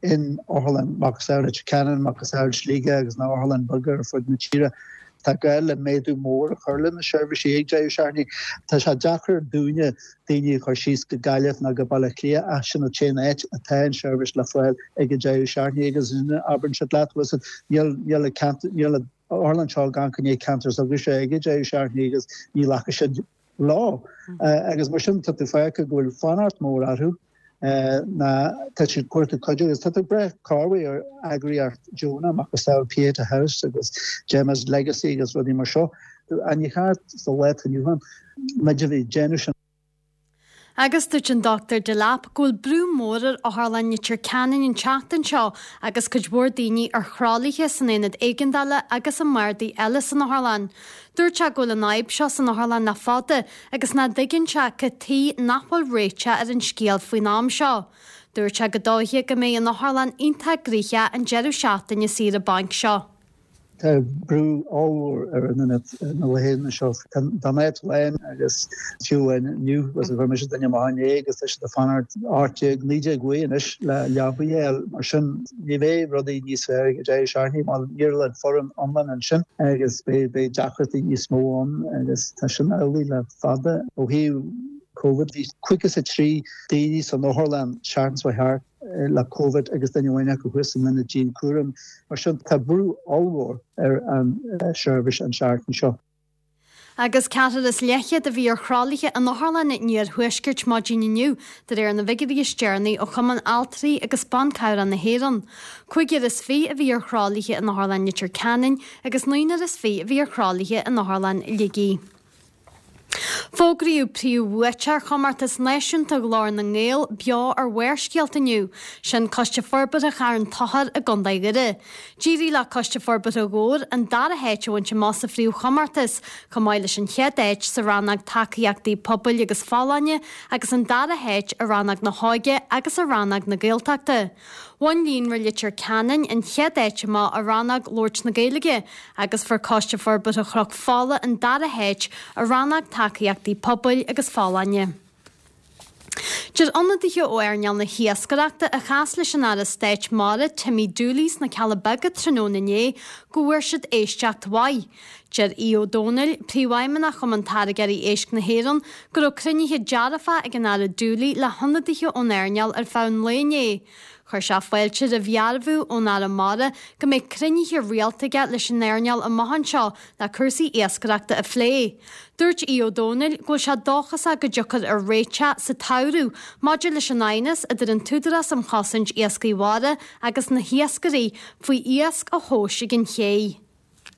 in Otharlann Macasamhail Leitir Ceanainn, Macasamhail Shligigh agus na otharlanna beaga ar fud na tíre. Tá gá le méadú mór a chur le na seirbhísí ag deireadh seachtaine. Tá sé deacair dúinne daoine a chur síos go Gaillimh nó go Baile Átha Cliath ach sin an t-aon áit atá an seirbhís le fáil ag an deireadh seachtaine agus abrainnse leat níl níl níl an otharlann seo gan go ndéidh ceantar s'agaibhse ag an deireadh seachtaine agus ní ghlacfaidh siad leo. Agus mar sin tá tú fágtha go bhfuil fanacht mór orthu. ná tá siad cuartú cuidiú agus tá tú ag breith corruair ar eagraíocht deonach macasamhail Pieta House agus Gemma's Legacy agus rudaí mar seo. Ach ní cheart sa lá atá inniu ann muid a bheith ag déanamh sin. Agus dúirt an Dochtúir Delap go bhfuil brú mór ar Otharlann Leitir Ceanainn an tseachtain seo agus cuid mhór daoine ar thralaithe san aonad éigeandála agus i mbardaí eile san otharlann. Dúirt sé go bhfuil an fhadhb seo san otharlann le fada agus nach dtuigeann sé cad tuige nach bhfuil réiteach ar an scéal faoin am seo. Dúirt sé gur dóiche go mbeidh an otharlann iontach gnoitheach an deireadh seachtaine saoire bainc seo. Tá brú ollmhór ar an ionad na laethanta seo. Tá an áit lán agus fiú inniu agus chuir mise duine amach inné agus tá siad ag fanacht ocht déag, naoi déag uaidh anois le leaba a fháil. Mar sin ní bheidh rudaí níos fearr ag an deireadh seachtaine mar níl an foireann iomlán ansin agus beidh beidh deacrachtaí níos mó ann agus tá sin amhlaidh le fada. Ó thaobh Covid bhí caoga is a trí daoine san otharlann seachtain seo thart le Covid agus duine amháin acu thuas san ionad dianchúraim. Mar sin tá brú ollmhór ar an seirbhís an seachtain seo. Agus ceathrar is leathchéad a bhí ar thralaithe in otharlanna an iarthuaiscirt maidin inniu, de réir na bhfigiúirí is deireanaí ó Chumann Altraí agus Ban Cabhrach na hÉireann. Cúigear is fiche a bhí ar thralaithe in Otharlann Leitir Ceanainn agus naonúr is fiche a bhí ar thralaithe in Otharlann Shligigh. Fógraíodh príomhbhuaiteoir Chomórtas Náisiúnta Ghlór na nGael beo ar Bharrscéalta inniu, sin Coiste Forbartha Charn Tóchair i gContae Dhoire. D'éirigh le Coiste Forbartha Dhobhair an dara háit a bhaint amach sa phríomhchomórtas, chomh maith leis an chéad áit sa rannóg Tacaíochtaí Pobail agus Folláine agus an dara háit i rannóg na hÓige agus i rannóg na Gaeltachta. Bhain Líonra Leitir Ceanainn an chéad áit amach i rannóg Labhairt na Gaeilge agus fuair Coiste Forbartha Chnoc Fola an dara háit i rannóg Tacaíochtaí Pobail agus Folláine. Deir ionadaithe ó earnáil na hiascaireachta a chas leis an Aire Stáit Mara Timmy Dooley sna Cealla Beaga tráthnóna inné go bhfuair siad éisteacht mhaith. Deir Aodh Ó Domhnaill, Príomhfheidhmeannach Chumann Táirgeoirí Éisc na hÉireann, go raibh cruinnithe dearfa ag an Aire Dooley le hionadaithe ón earnáil ar feadh an lae inné. Chuir sé fáilte roimh dhearbhú ón Aire Mara go mbeidh cruinnithe rialta aige leis an earnáil amach anseo le cúrsaí iascaireachta a phlé. Dúirt Aodh Ó Domhnaill go bhfuil sé dóchasach go dtiocfar ar réiteach sa tsamhradh maidir leis an aighneas idir an tÚdarás um Chosaint Iascaigh Mhara agus na hiascairí faoi iasc a thomhas ag an ché.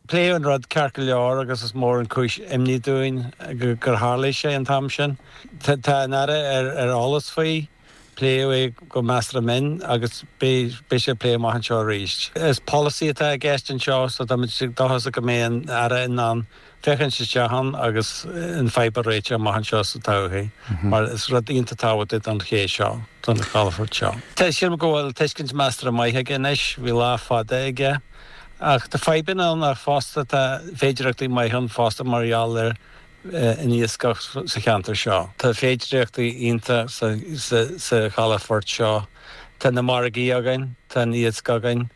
Pléadh an rud ceart go leor agus is mór an chúis imní dúinn gur tharlaigh sé an t-am sin. Tá an Aire ar eolas faoi. Pléadh é go measartha mion agus beidh sé á phlé amach anseo arís. Is polasaí atá i gceist anseo so táimid dóchasach go mbeidh an Aire in ann féachaint isteach ann agus an fadhb a réiteach amach anseo sa todhchaí mar is rud iontach tábhachtach don ché seo, don chalafort seo. Sílim go bhfuil tuiscint measartha maith aige anois, bhí lá fada aige ach tá fadhbanna ann ach fosta tá féidearthachtaí maithe ann fosta mar gheall ar an iascach sa cheantar seo. Tá féidearthachtaí iontach sa chalafort seo. Tá na margaí againn, tá an iasc againn,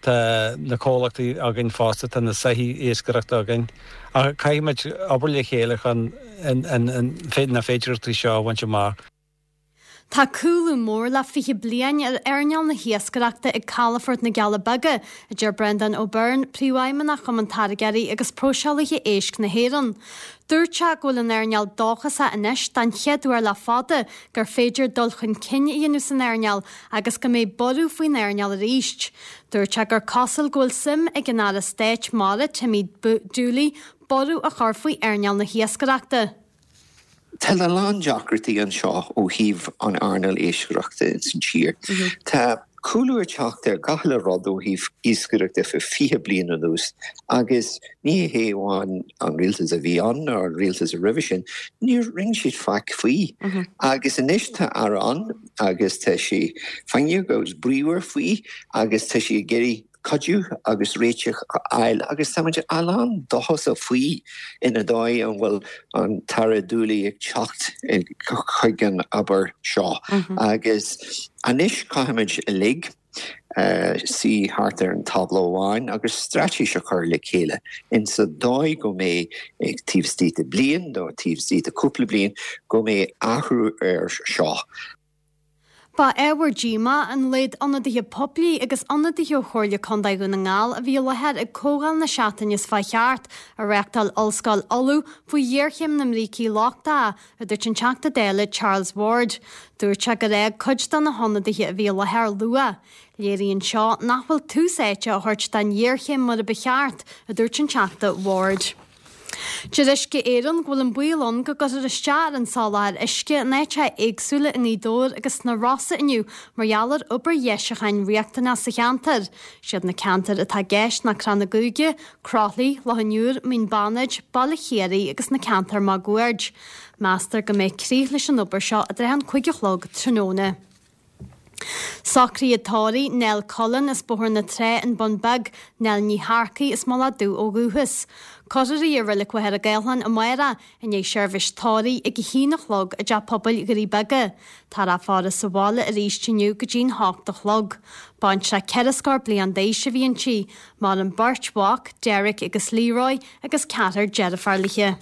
tá na comhlachtaí againn fosta, tá na soithí iascaireachta againn. Ach caithfimid obair le chéile chun na féidearthachtaí seo a bhaint amach. Tá cúlú mór le fiche bliain ar earnáil na hiascaireachta ag Calafort na gCealla Beaga, a deir Breandán Ó Beirn, Príomhfheidhmeannach Chumann Táirgeoirí agus Próiseálaithe Éisc na hÉireann. Dúirt sé go bhfuil an earnáil dóchasach anois den chéad uair le fada gur féidir dul chun cinn a dhéanamh san earnáil agus go mbeidh borradh faoin earnáil arís. Dúirt sé gur cosúil go bhfuil suim ag an Aire Stáit Mara, Timmy Dooley, borradh a chur faoi earnáil na hiascaireachta. Tá a lán deacrachtaí anseo ó thaobh an earnáil iascaireachta ins an tír. Tá cúlú ag teacht ar gach uile rud ó thaobh iascaireachta fé fiche bliain anuas agus ní hé amháin an rialtas a bhí ann ná an rialtas a roimhe sin, níor rinne siad faic faoi. Agus anois tá Aire ann agus tá sé foighneach agus bríomhar faoi agus tá sé ag iarraidh cuidiú agus réiteach a fháil agus táimid an-dóchasach faoi ina dóigh an bhfuil an tAire Dooley ag teacht chuig an obair seo agus anois caithfimid uilig suí thart ar an tábla amháin agus straitéis a chur le chéile insa dóigh go mbeidh taobh istigh de bliain nó taobh istigh de cúpla bliain go mbeidh athrú air seo. Ba ábhar díomá an laghad ionadaithe poiblí agus ionadaithe ó Chomhairle Contae Dhún na nGall a bhí i láthair ag comhdháil na seachtaine seo chuaigh thart, a reáchtáil Ollscoil Uladh faoi ghéarchéim na mbrící lochtacha, a dúirt an Teachta Dála Charles Ward. Dúirt sé gur fhág cuid de na hionadaithe a bhí i láthair luath. Léiríonn seo nach bhfuil tús áite á thabhairt don ghéarchéim mar a ba cheart, a dúirt an Teachta Ward. Deir Uisce Éireann go bhfuil an baol ann go gcuirfear isteach ar an soláthar uisce in áiteacha éagsúla i nGaoth Dobhair agus sna Rosa inniu mar gheall ar obair dheisiúcháin riachtanach sa cheantar. Siad na ceantair atá i gceist ná Crann na gCúige, Croithlí, Loch an Iúir, Mín Bannaid, Baile Chiarraí agus na ceantair máguaird. Meastar go mbeidh críoch leis an obair seo i dtrátha an cúig a chlog tráthnóna. Socruithe tórraimh Nell Cullen as Bóthar na Trá, An Bun Beag, Nell Ní Shearcaigh as Mullach Dubh ó dhúchas. Cuirfear í i Reilig Mhachaire Gathlán amárach i ndiaidh seirbhís tórraimh ag a haon a chlog i dTeach Pobail Dhoirí Beaga. Táthar á faire sa bhaile arís inniu go dtí'n hocht a chlog. Baintreach ceithre scór bliain d'aois a bhí inti. Maireann beirt mhac, Derek agus Leroy, agus ceathrar deirfiúr léi.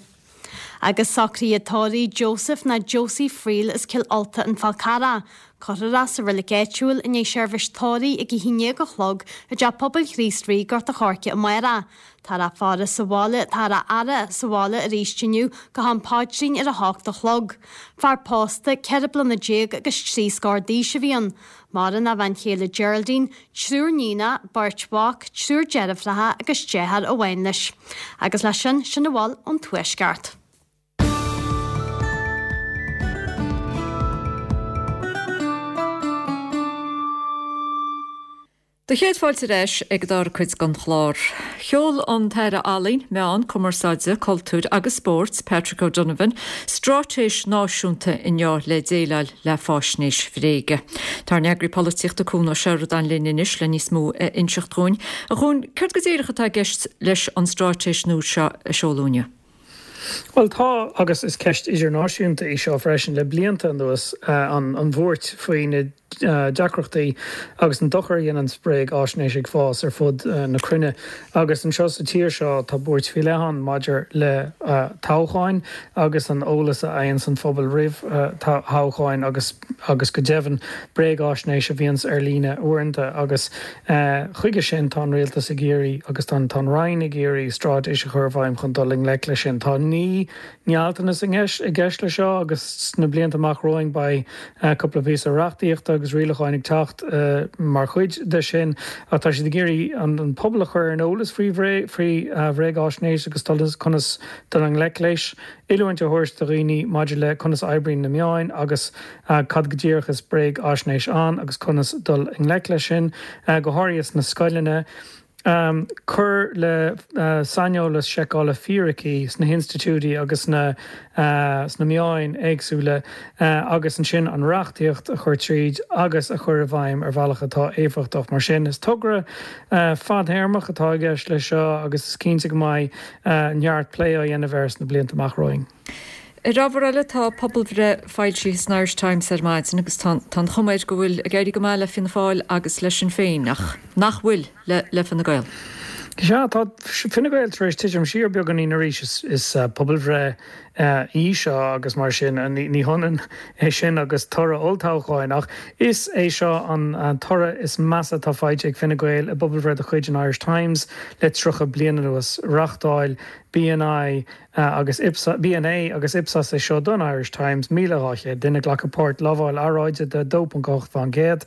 Agus socruithe tórraimh Joseph ná Josie Friel as Cill Ulta An Fál Carrach. Cuirfear é sa reilig áitiúil i ndiaidh seirbhís tórraimh ag a haon déag a chlog i dTeach Pobail Chríost Rí, Gort a' Choirce amárach. Táthar á faire sa bhaile, táthar á fhaire sa bhaile arís inniu go ham paidrín ar a hocht a chlog. Fear pósta, ceithre bliana déag agus trí scór d'aois a bhí ann. Maireann a bhean chéile Geraldine, triúr níonacha, beirt mhac, triúr deirfiúracha agus deartháir amháin leis. Agus leis sin, sin a bhfuil ón Tuaisceart. Do chéad fáilte ar ais ag an dara cuid den chlár. Sheol an tAire Ealaíon, Meán, Cumarsáide, Cultúir agus Spóirt, Patrick O'Donovan, straitéis náisiúnta inniu le déileáil le faisnéis bhréige. Tá ár n-eagraí polaitíochta Cuan Ó Seireadáin linn anois le níos mó a inseacht dhúinn. A Chuain, céard go díreach atá i gceist leis an straitéis nua seo a seoladh inniu? Bhuel tá, agus is ceist idirnáisiúnta í seo freisin, le blianta anuas, an bhuairt faoi na deacrachtaí agus an dochar a dhéanann bréagaisnéis ag fás ar fud na cruinne. Agus anseo sa tír seo tá buairt faoi leith ann maidir le toghcháin agus an eolas a fhaigheanns an phobal roimh thoghcháin agus agus go deimhin bréagaisnéis a bhíonns ar líne uaireanta. Agus chuige sin tá an rialtas ag iarraidh agus tá an Roinn ag iarraidh straitéis a chur i bhfeidhm chun dul i ngleic leis sin. Tá naoi ngealltanas i gceist leis seo agus sna blianta amach romhainn beidh cúpla píosa reachtaíochta agus rialacháin ag teacht mar chuid de sin ach tá siad ag iarraidh an pobal a chur ar an eolas faoi bhréagaisnéis agus conas dul i ngleic leis, oiliúint a thabhairt do dhaoine maidir le conas a oibríonn na meáin agus cad go díreach is bréagaisnéis ann agus conas dul i ngleic leis sin, go háirithe sna scoileanna. Cur le saineolas seiceála fíricí sna hinstitiúidí agus sna meáin éagsúla agus ansin an reachtaíocht a chur tríd agus a chur i bhfeidhm ar bhealach atá éifeachtach. Mar sin, is togra fadtéarmach atá i gceist leis seo agus is cinnte go mbeidh neart plé á dhéanamh air sna blianta amach romhainn. Ar ábhar eile, tá pobalbhreith foilsithe san Irish Times ar maidin agus tá an chuma air go bhfuil ag éirí go maith le Fianna Fáil agus le Sinn Féin, ach nach bhfuil le le Fine Gael. Sea, tá Fine Gael tar éis titim siar beagáinín arís. Is pobalbhreith í seo agus mar sin ní hionann é sin agus toradh olltoghcháin ach is é seo an toradh is measa atá faighte ag Fine Gael i bpobalbhreith de chuid an Irish Times le tríocha bliain anuas. Reáchtáil BNI agus BNA agus Ipsos é seo don Irish Times, míle dhá chéad duine ag glacadh páirt, lamháil earráide de a dó ponc ocht fán gcéad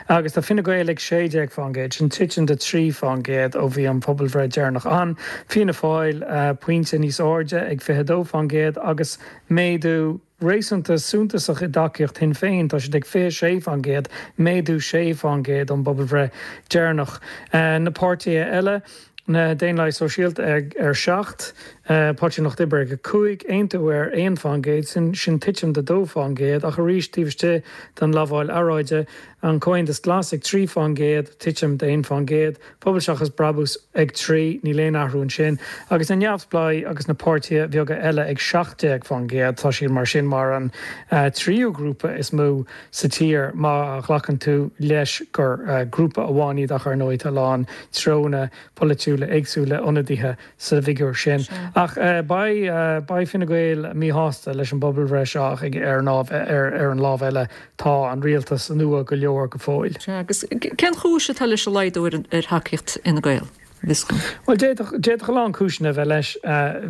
agus tá Fine Gael ag sé déag fán gcéad, sin titim de trí fán gcéad ó bhí an pobalbhreith deireanach ann. Fianna Fáil pointe níos airde ag fiche a dó fán gcéad agus méadú réasúnta suntasach i dtacaíocht Shinn Féin, tá siad ag fiche a sé fán gcéad, méadú sé fán gcéad ón bpobalbhreith deireanach. Na páirtithe eile. Na Daonlathaigh Sóisialta ag ar seacht, Páirtí an Lucht Oibre ag a cúig, Aontú ar aon fán gcéad, sin sin titim de dó fán gcéad, ach arís taobh istigh den lamháil earráide, an Comhaontas Glas ag trí fán gcéad, titim de aon fán gcéad, Pobal Seachas Brabús ag trí, níl aon athrú ansin, agus na Neamhspleáigh agus na páirtithe bheaga eile ag seacht déag fán gcéad. Tá siad mar sin mar an tríú grúpa is mó sa tír má ghlacann tú leis gur grúpa amháin iad ach ar ndóigh tá a lán treonna polaitiúla éagsúla ionadaithe sa bhfigiúr sin. Ach beidh beidh Fine Gael míshásta leis an bpobalbhreith seo ach ar an ar an lámh eile tá an rialtas nua go leor go fóill. Sea, agus cén chúis atá leis an laghdú ar ar thacaíocht Fhine Gael? Bhuel, d'fhéadfadh d'fhéadfadh a lán cúiseanna a bheith leis.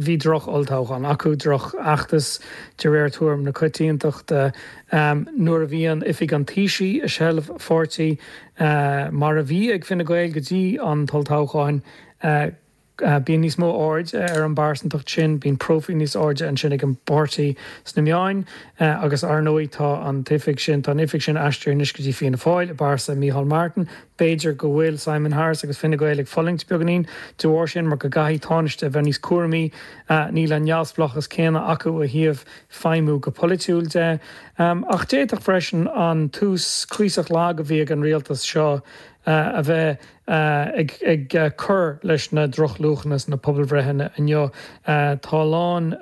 Bhí droch-olltoghchán acu, drochfheachtas de réir tuairim na coitiantachta. Nuair a bhíonn oifig an Taoisigh i seilbh pháirtí, mar a bhí ag Fine Gael go dtí an t-olltoghchán, bíonn níos mó aird ar an bpearsantacht sin, bíonn próifíl níos airde ansin ag an bpáirtí sna meáin agus ar ndóigh tá an t-oifig sin, tá an oifig sin aistrithe anois go dtí Fianna Fáil i bpearsa Micheál Martin. B'fhéidir go bhfuil Simon Harris agus Fine Gael ag fulaingt beagáinín de bharr sin mar go gcaithfidh Tánaiste a bheith níos cúramaí. Níl an neamhspleáchas céanna acu ó thaobh feidhmiú go polaitiúil de. Ach d'fhéadfadh freisin an tús cuíosach lag a bhí ag an rialtas seo a bheith ag cur leis na drochluachanna sna pobalbhreitheanna inniu. Tá a lán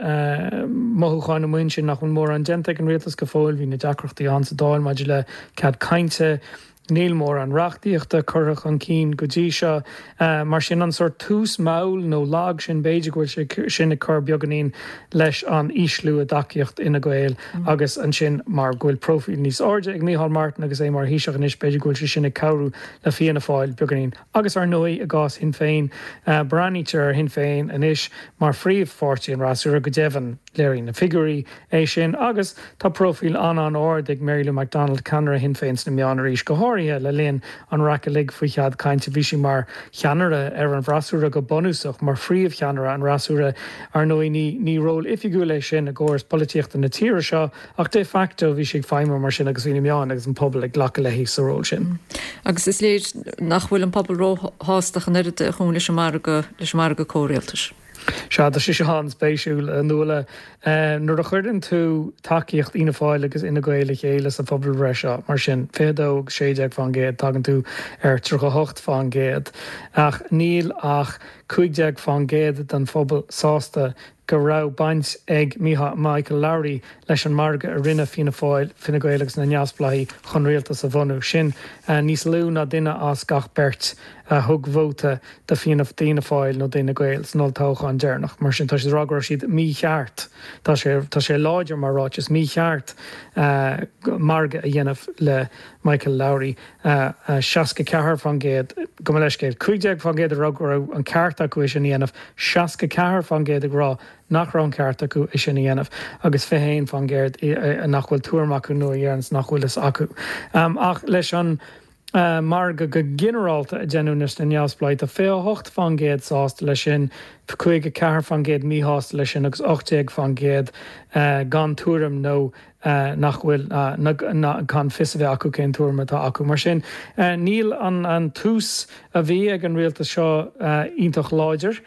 mothúcháin amuigh ansin nach bhfuil mórán déanta ag an rialtas go fóill. Bhí na deacrachtaí ann sa Dáil maidir le cead cainte. Níl mórán reachtaíochta curtha chun cinn go dtí seo. Mar sin, an sórt tús mall nó lag sin, b'fhéidir go bhfuil sé sin ag cur beagáinín leis an ísliú i dtacaíocht Fhine Gael agus ansin mar go bhfuil próifíl níos airde ag Micheál Martin agus é mar Thaoiseach anois, b'fhéidir go bhfuil sé sin ag cabhrú le Fianna Fáil beagáinín. Agus ar ndóigh, i gcás Shinn Féin, breathnaítear ar Shinn Féin anois mar phríomhpháirtí an fhreasúra, go deimhin léiríonn na figiúirí é sin agus tá próifíl an-an-ard ag Mary Lou McDonald, ceannaire Shinn Féin sna meáin arís, go háirithe le linn an raic uilig faoi chead cainte. Bhí sí mar cheannaire ar an bhfreasúra go bunúsach, mar phríomhcheannaire an fhreasúra. Ar ndóigh ní ní ról oifigiúil é sin i gcóras polaitíochta na tíre seo ach de facto bhí sí ag feidhmiú mar sin agus bhí na meáin agus an pobal ag glacadh léi sa ról sin. Agus is léir nach bhfuil an pobal róshásta ach an oiread a Chuain leis an margadh leis an margadh comhrialtais. Sea, tá sé seo an-spéisiúil, a Nuala. Nuair a chuireann tú tacaíocht Fhianna Fáil agus Fhine Gael le chéile sa phobalbhreith seo, mar sin, fiche a dó agus sé déag fán gcéad, tagann tú ar tríocha a hocht fán gcéad. Ach níl ach cúig déag fán gcéad den phobal sásta go raibh baint ag Michael Lowry leis an margadh a rinne Fianna Fáil, Fine Gael agus na Neamhspleáigh chun rialtas a bhunú. Sin níos lú ná duine as gach beirt a thug vóta do Fianna Fáil nó d'Fhine Gael san olltoghchán deireanach. Mar sin, tá siad ag rá go raibh siad mícheart, tá sé tá sé láidir mar ráiteas, mícheart margadh a dhéanamh le Michael Lowry. seasca ceathair fán gcéad, gabh mo leithscéal, cúig déag fán gcéad ag rá go raibh an ceart acu é sin a dhéanamh, seasca ceathair fán gcéad ag rá nach raibh an ceart acu é sin a dhéanamh agus fiche haon fán gcéad nach bhfuil tuairim acu nó a deireanns nach bhfuil fhios acu. Ach leis an margadh go ginearálta a deineadh leis na neamhspleáigh, tá fiche a hocht fán gcéad sásta leis sin, caoga ceathair fán gcéad míshásta leis sin agus ocht déag fán gcéad gan tuairim nó nach bhfuil, gan fios a bheith acu cén tuairim atá acu. Mar sin, níl an tús a bhí ag an rialtas seo iontach láidir.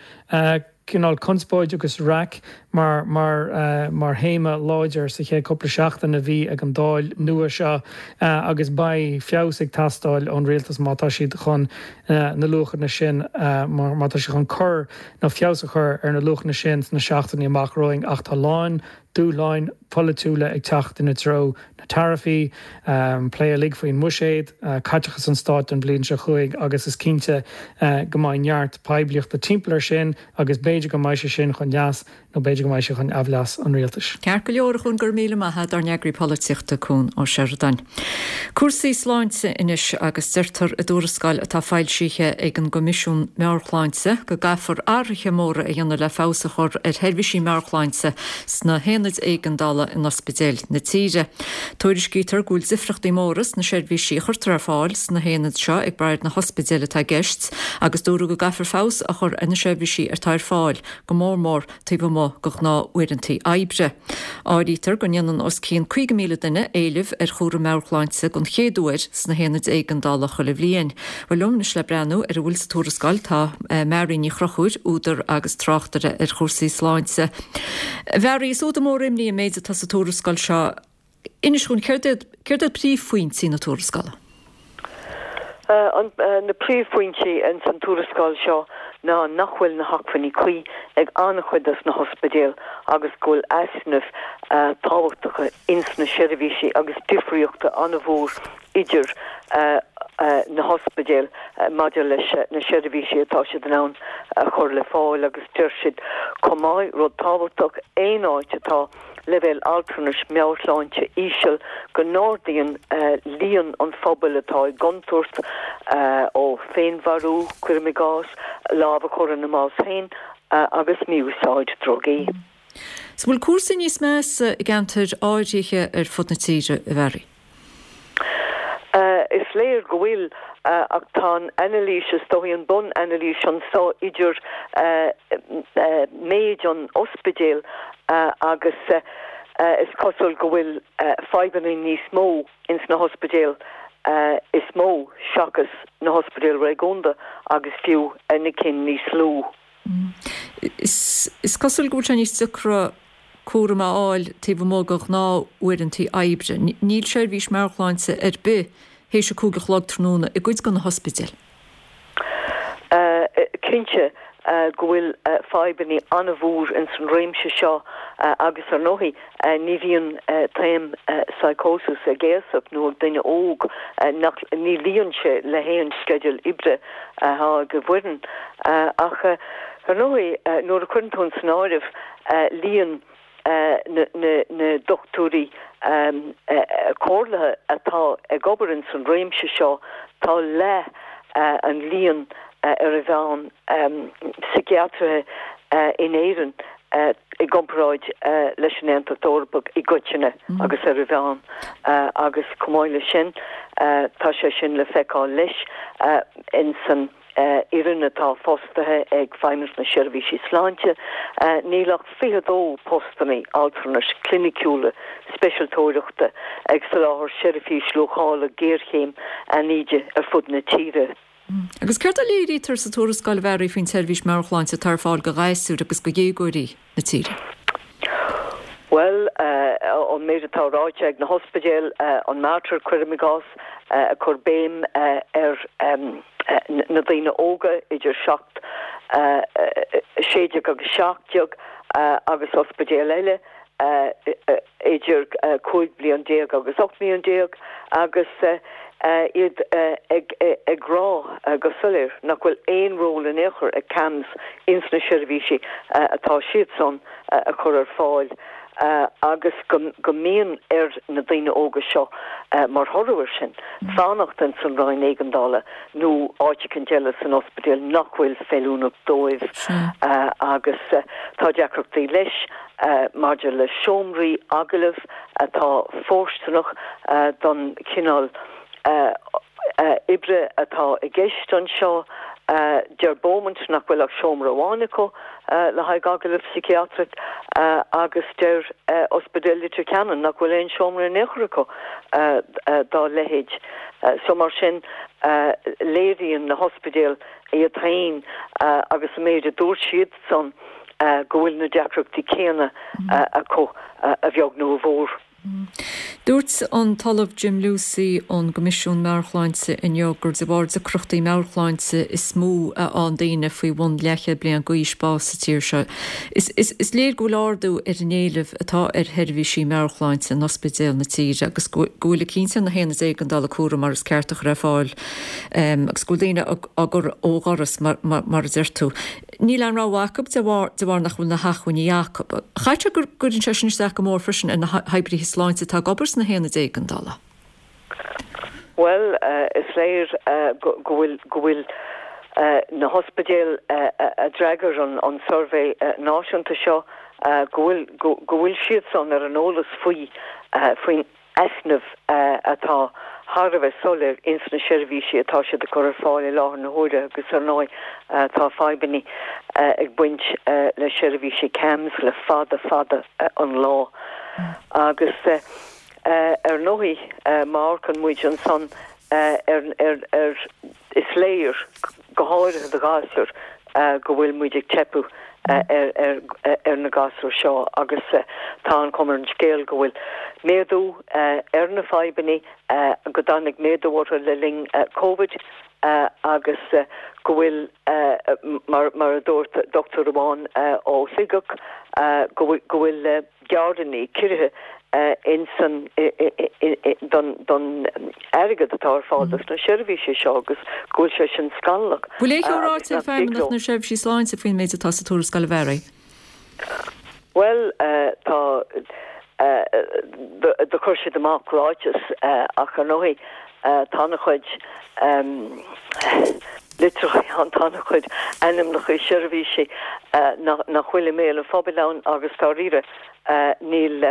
Cineál conspóid agus raic mar mar mar théama láidir sa chéad cúpla seachtain a bhí ag an Dáil nua seo agus beidh feabhas ag teastáil ón rialtas má tá siad chun na luachanna sin, má tá siad chun cur nó feabhas a chur ar na luachanna sin sna seachtainí amach romhainn ach tá a lán dúshláin pholaitiúla ag teacht ina dtreo, na taraifí, plé uilig faoin mbuiséad, caiteachas an stáit don bhliain seo chugainn agus is cinnte go mbeidh neart poiblíochta timpeall air sin agus b'fhéidir go mbeidh sé sin chun leas nó b'fhéidir go mbeidh sé chun aimhleas an rialtais. Ceart go leor, a Chuain, go raibh míle maith agat, ár n-eagraí polaitíochta, Cuan Ó Seireadáin. Cúrsaí sláinte anois agus deirtear i dtuarascáil atá foilsithe ag an gCoimisiún Meabhair-Shláinte go gcaithfear athruithe móra a dhéanamh le feabhas a chur ar sheirbhísí meabhairshláinte sna haonaid éigeandála in ospidéil na tíre. Tuairiscítear go bhfuil difriochtaí móra sna seirbhísí a chuirtear ar fáil sna haonaid seo ag brath ar na hospidéil atá i gceist agus dúradh go gcaithfear feabhas a chur ar na seirbhísí atá ar fáil, go mór mór taobh amuigh de ghnáth-uaireanta oibre. Áirítear go ndéanann os cionn caoga míle duine éileamh ar chúram meabhairshláinte den chéad uair sna haonaid éigeandála chuile bhliain. Bhuel liom anois le breathnú ar a bhfuil sa tuarascáil tá Mary Ní Chonchúir, údar agus tráchtaire ar chúrsaí sláinte. A Mhary, is údar mór imní an méid atá sa tuarascáil seo. Inis dhúinn, céard iad céard iad príomhphointí na tuarascála? Na príomhphointí ins an tuarascáil seo ná nach bhfuil na hacmhainní cuí ag an-chuid dos na hospidéil agus go bhfuil easnaimh tábhachtacha ins na seirbhísí agus difríochta an-mhór idir na hospidéil maidir leis na seirbhísí atá siad in ann a chur le fáil agus deir siad chomh maith, rud tábhachtach, aon áit atá leibhéal altranais meabhairshláinte íseal go n-ardaíonn líon an phobail atá i gcontúirt ó féinmharú, cuirim i gcás, lámh a chur ina mbás féin agus mí-úsáid drugaí. An bhfuil cúrsaí níos measa i gceantair áirithe ar fud na tíre, a Mhary? Is léir go bhfuil, ach tá an anailís, is dóigh, an bun-anailís anso idir méid an ospidéil agus is cosúil go bhfuil fadhbanna níos mó ins na hospidéil is mó seachas na hospidéil réigiúnda agus fiú na cinn níos lú. Is cosúil go bhfuil sé níos deacra cúram a fháil taobh amuigh de ghnáthuaireanta oibre. Níl seirbhís meabhairshláinte ar bith théis a cúig a chlog tráthnóna i gcuid de na hospidéil. Cinnte go bhfuil fadhbanna an-mhór ins an réimse seo agus ar ndóigh ní bhíonn taom psychosis ag aosach nó ag duine óg nach ní luíonn sé le haon sceideal oibre atá ag an bhfoireann ach ar ndóigh nuair a chuireann tú san áireamh líon na dochtúirí comhairleacha atá ag obair ins an réimse seo tá leath an líon ar a mheán síciatraithe in Éirinn i gcomparáid leis an Aontas Eorpach i gcoitinne agus ar a mheán agus chomh maith leis sin tá sé sin le feiceáil leis ins an fhoireann atá fostaithe ag Feidhmeannas na Seirbhísí Sláinte. Níl ach fiche dó postanna altranais cliniciúla speisialtóireachta ag soláthar seirbhís luachála géarchéim anáide ar fud na tíre. Agus céard a léirítear sa tuarascáil a Mhary faoin tseirbhís meabhairshláinte atá ar fáil do ghasúir agus do dhéagóirí na tíre? Bhuel, an méid atá ráite ag na hospidéil, an Mater cuirim i gcás, ag cur béim ar na daoine óga idir seacht, sé déag agus seacht déag agus ospidéal eile idir cúig bliain déag agus ocht mbliain déag agus iad ag rá go soiléir nach bhfuil aon ról in aon chor ag CAMHS ins na seirbhísí atá siadsan a chur ar fáil agus go mbíonn ar na daoine óga seo mar thoradh air sin fanacht ins an roinn éigeandála nó áit eicínt eile san ospidéal nach bhfuil feiliúnach dóibh agus tá deacrachtaí leis maidir le seomraí agallaimh atá fóirsteanach don chineál oibre atá i gceist anseo. Deir Beaumont nach bhfuil ach seomra amháin acu le haghaidh agallamh síciatrach agus deir Ospidéal Leitir Ceanainn nach bhfuil aon seomra in aon chor acu dá leithéid. So mar sin léiríonn na hospidéil iad féin agus an méid a dúirt siad san go bhfuil na deacrachtaí céanna acu a bheag nó a mhór. Dúirt an tOllamh Jim Lucey ón gCoimisiún Meabhairshláinte inniu gur de bharr deacrachtaí meabhairshláinte is mó a fhaigheann daoine faoi bhun leathchéad bliain d'aois bás sa tír seo. Is, is, is léir go bhfuil ardú ar an éileamh atá ar sheirbhísí meabhairshláinte in ospidéil na tíre agus go bhfuil cinnte na haonaid éigeandála cúram mar is ceart a chur ar fáil um, agus go bhfuil daoine á gcur ó dhoras mar, mar, mar a deir tú. Níl aon rogha acu de bharr, de bharr nach bhfuil na hacmhainní acu. Chaithfeadh go gcuireann sé sin isteach go mór freisin ar na hoibrithe sláinte atá ag obair sna haonaid éigeandála. Bhuel, is léir go bhfuil go bhfuil na hospidéil a d'fhreagair an an suirbhé náisiúnta seo go bhfuil go bhfuil siadsan ar an eolas faoi faoin easnamh atá thar a bheith soiléir ins na seirbhísí atá siad ag cur ar fáil i láthair na huaire agus ar ndóigh tá fadhbanna ag baint le seirbhísí CAMHS le fada fada an lá. Agus ar ndóigh má amharcann muid ansan ar ar ar is léir go háirithe do ghasúir go bhfuil muid ag teipeadh ar ar ar na gasúir seo agus tá an chuma ar an scéal go bhfuil méadú ar na fadhbanna go dtáinig méadú orthu le linn Covid agus go bhfuil mar mar a dúirt dochtúir amháin ó Shligeach go bhfuil go bhfuil gearranna ciorruithe insan don don airgead atá ar fáil dos na seirbhísí seo agus go bhfuil sé sin scannalach. Bhfuil aon cheo ráite ag Feidhmeannacht na Seirbhísí Sláinte faoin méid atá sa tuarascáil a Mhary? Bhuel tá do chuir siad amach ráiteas ach ar ndóigh tá an-chuid litreacha ann, tá an-chuid ainmneacha seirbhísí nach bhfuil i mbéal an phobail ann agus dáiríre níl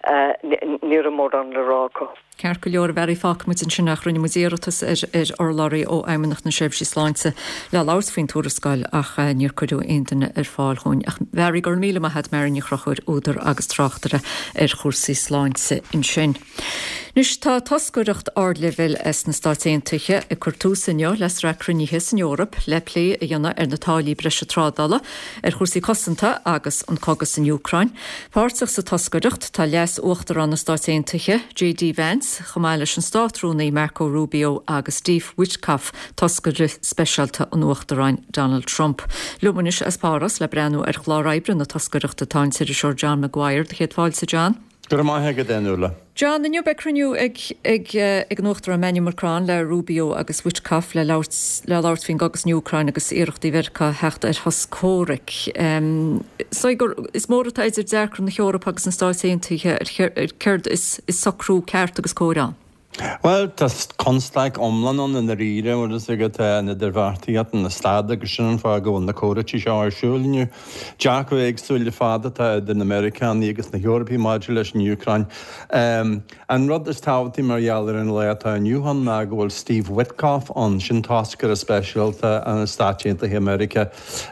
ní raibh mórán le rá acu. Ceart go leor a Mhary fágfaidh muid ansin ach rinne muid iarratas ar ar urlabhraí ó Fheidhmeannacht na Seirbhísí Sláinte le labhairt faoin tuarascáil ach níor cuireadh aon duine ar fáil chugainn. Ach Mhary go raibh míle maith agat Mary Ní Chonchúir údar agus tráchtaire ar chúrsaí sláinte ansin. Anois tá toscaireacht ardleibhéil as na Stáit Aontaithe ag cur tús inniu le sraith cruinnithe san Eoraip le plé a dhéanamh ar na táillí breise trádála, ar chúrsaí cosanta agus an cogadh san Úcráin. Páirteach sa toscaireacht tá Leas-Uachtarán na Stáit Aontaithe, J D Vance, chomh maith leis an Státrúnaí Marco Rubio agus Steve Witkoff, toscaire speisialta an Uachtaráin Donald Trump. Liom anois as Páras le breathnú ar chlár oibre na toscaireachta tá an t-iriseoir John Maguire. Céad fáilte, John. Go raibh maith agat, a Nuala. John, inniu beidh cruinniú ag ag ag an Uachtarán Emmanuel Macron le Rubio agus Witkoff le labhairt le labhairt faoin gcogadh san Úcráin agus iarrachtaí Mheiriceá theacht ar shos comhraic. Um, so gur is mór atá idir dearcadh na hEorpa agus na Stáit Aontaithe ar céard is is socrú ceart agus cóir ann. Well, tá constaic iomlán ann i ndáiríre agus agat na idirbheartaíocht na stad agus sin an fáth go bhfuil na comhráití seo ar siúl inniu. Dearcadh éagsúil le fada atá idir na Meiriceánaigh agus na hEorpaigh maidir leis an Úcráin. Um, an rud is tábhachtaí mar gheall ar an lá atá inniu ann ná go bhfuil Steve Witkoff ann, sin toscaire speisialta an Stáit Aontaithe Meiriceá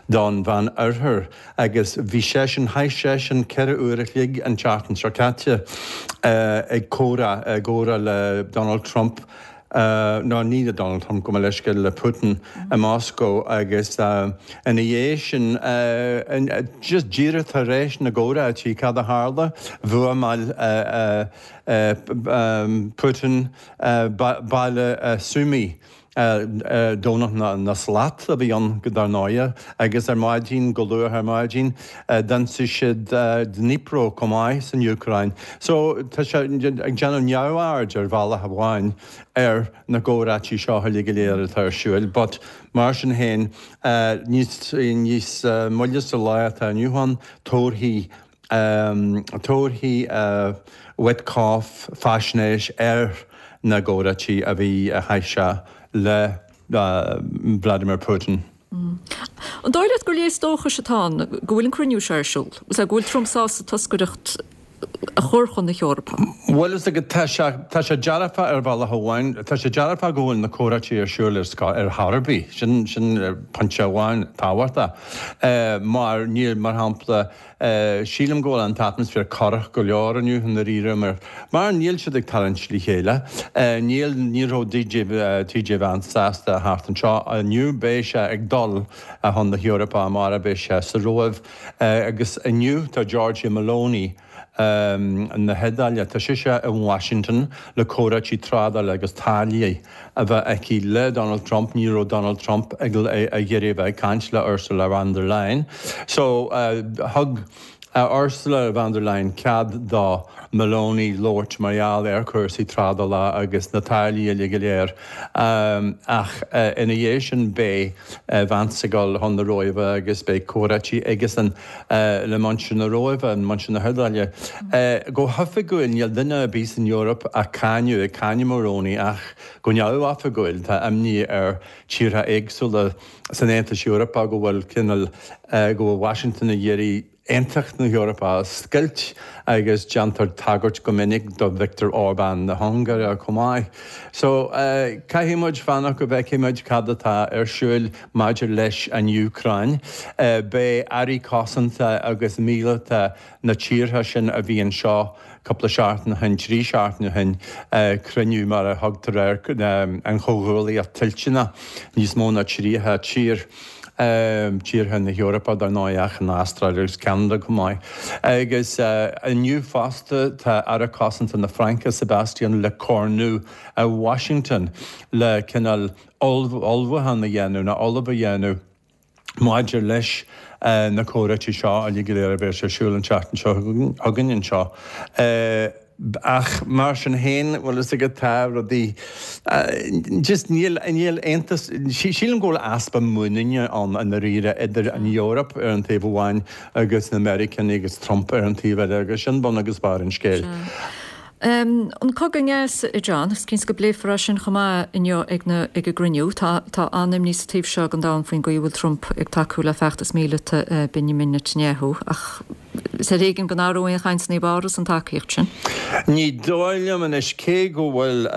don Mheánoirthear agus bhí seisean chaith seisean ceithre uair a chloig an tseachtain seo caite uh, ag comhrá ag comhrá le Donald Trump uh, ná ní le Donald Trump gabh mo leithscéal le Putin i Moscow agus uh, ina dhiaidh sin uh, just díreach tar éis na gcomhráití cad a tharla bhuamáil uh, uh, um, Putin uh, baile uh, Sumy. Domhnach na, na slat a bhí ann go dar ndóigh agus ar maidin go luath ar maidin d'ionsaigh siad Dnipro chomh maith san Úcráin. So tá sé ag déanamh neamhaird ar bhealach amháin ar na comhráití seo uilig go léir atá ar siúl, but mar sin féin níos níos moille sa lá atá inniu ann tabharfaidh um, tabharfaidh uh, Witkoff faisnéis ar na comhráití a bhí a chaith sé le uh, Vladimir Putin. Mm. An dóigh leat gur léas dóchais atá ann go bhfuil an cruinniú seo ar siúl, go bhfuil Trump sásta toscaireacht a chur chun na hEorpa. Well is go tá sé dearfa ar bhealach amháin, tá sé dearfa go bhfuil na comhráití ar siúl ar chor ar bith, sin sin pointe amháin tábhachtach. Uh, mar níl mar shampla uh, sílim go bhfuil an t-atmaisféar corrach go leor inniu i ndáiríre mar mar níl siad ag tarraingt le chéile. Uh, níl ní raibh D J uh, T J Vance sásta theacht anseo inniu beidh sé ag dul a chun na hEorpa mar a beidh sé sa Róimh uh, agus inniu tá Giorgia Meloni um, na hIodáile tá sise in Washington le comhráití trádála agus táillí a bheith aici le Donald Trump ní raibh Donald Trump ag ag iarraidh bheith caint le Ursula von der Leyen. So uh, thug uh, Ursula von der Leyen cead do Meloni labhairt mar gheall ar chúrsaí trádála agus na táillí uilig go léir um, ach uh, ina dhiaidh sin beidh uh, Vance ag dul chun na Róimhe agus beidh comhráití agus an uh, le muintir na Róimhe an muintir na hIodáile. Uh, go hoifigiúil níl duine ar bith san Eoraip a cáineadh ag cáineadh Meloni ach go neamhoifigiúil tá imní ar tíortha éagsúla san Aontas Eorpach go bhfuil cineál uh, go bhfuil Washington ag iarraidh aontacht na hEorpa a scoilt agus déantar tagairt go minic do Viktor Orbán na hUngáire chomh maith. So uh, caithfidh muid fanacht go bhfeicfidh muid cad atá ar siúl maidir leis an Úcráin. Uh, Beidh airí cosanta agus míleata na tíortha sin a bhí anseo cúpla seachtain ó shin trí seachtain ó shin uh, cruinniú mar a thugtar ar um, an chomhghuaillíocht toilteanach níos mó ná tríocha tír. Um, tíortha na hEorpa dar ndóigh ach an Astráil agus Canada chomh maith. Agus uh, inniu fosta tá aire cosanta na Fraince Sebastian Lecornu a Washington le cineál ullmhúchán a dhéanamh na ullmhú a dhéanamh maidir leis uh, na comhráití seo uilig go léir a bheidh ar siúl an tseachtain seo chugainn anseo. Uh, ach mar sin féin bhfuil is go tá rudaí just níl níl aontas sílim go bhfuil easpa muiníne ann i ndáiríre idir an Eoraip ar an taobh amháin agus na Meiriceánaigh agus Trump ar an taobh eile agus sin bun agus barr an scéil. Um, an cogadh i nGaza, John, is cinnte go bpléifear sin chomh maith inniu ag na ag an gcruinniú tá tá an-imní sa taobh seo den domhan faoin gcaoi bhfuil Trump ag tacú le feachtas míleata uh, Benjamin Netanyahu ach Is ar éigean go n-athróidh aon chaint i bPáras an tacaíocht sin. Ní dóigh liom anois cé go bhfuil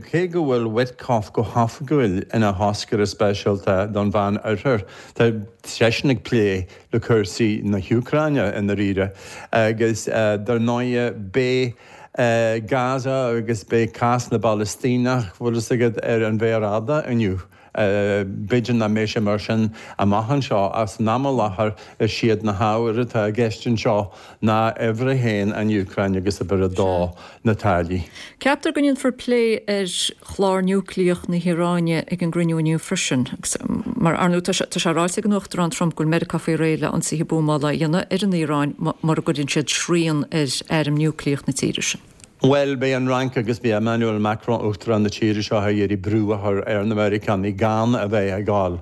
cé go bhfuil Witkoff go hoifigiúil ina thoscaire speisialta don Mheánoirthear Tá seisean ag plé le cúrsaí na hÚcráine i ndáiríre agus dar ndóigh beidh Gaza agus beidh cás na bPalaistíneach, bhfuil fhios agat, ar an mhéar fhada inniu. B'fhéidir nach mbeidh sé mar sin amach anseo ach san am i láthair is iad na hábhair atá i gceist anseo ná uimhir a haon an Úcráin agus uimhir a dó na táillí. Ceaptar go ndéanfar plé ar chlár núicléach na hIaráine ag an gcruinniú inniu freisin agus mar ar ndóigh tá sé ráite ag an Uachtarán Trump go bhfuil Meiriceá faoi réir le ionsaithe buamála a dhéanamh ar an Iaráin mura gcuireann siad srian ar airm núicléach na tíre sin. Bhuel, beidh an Fhrainc agus beidh Emmanuel Macron, Uachtarán na tíre seo, ag iarraidh brú a chur ar na Meiriceánaigh gan a bheith ag gabháil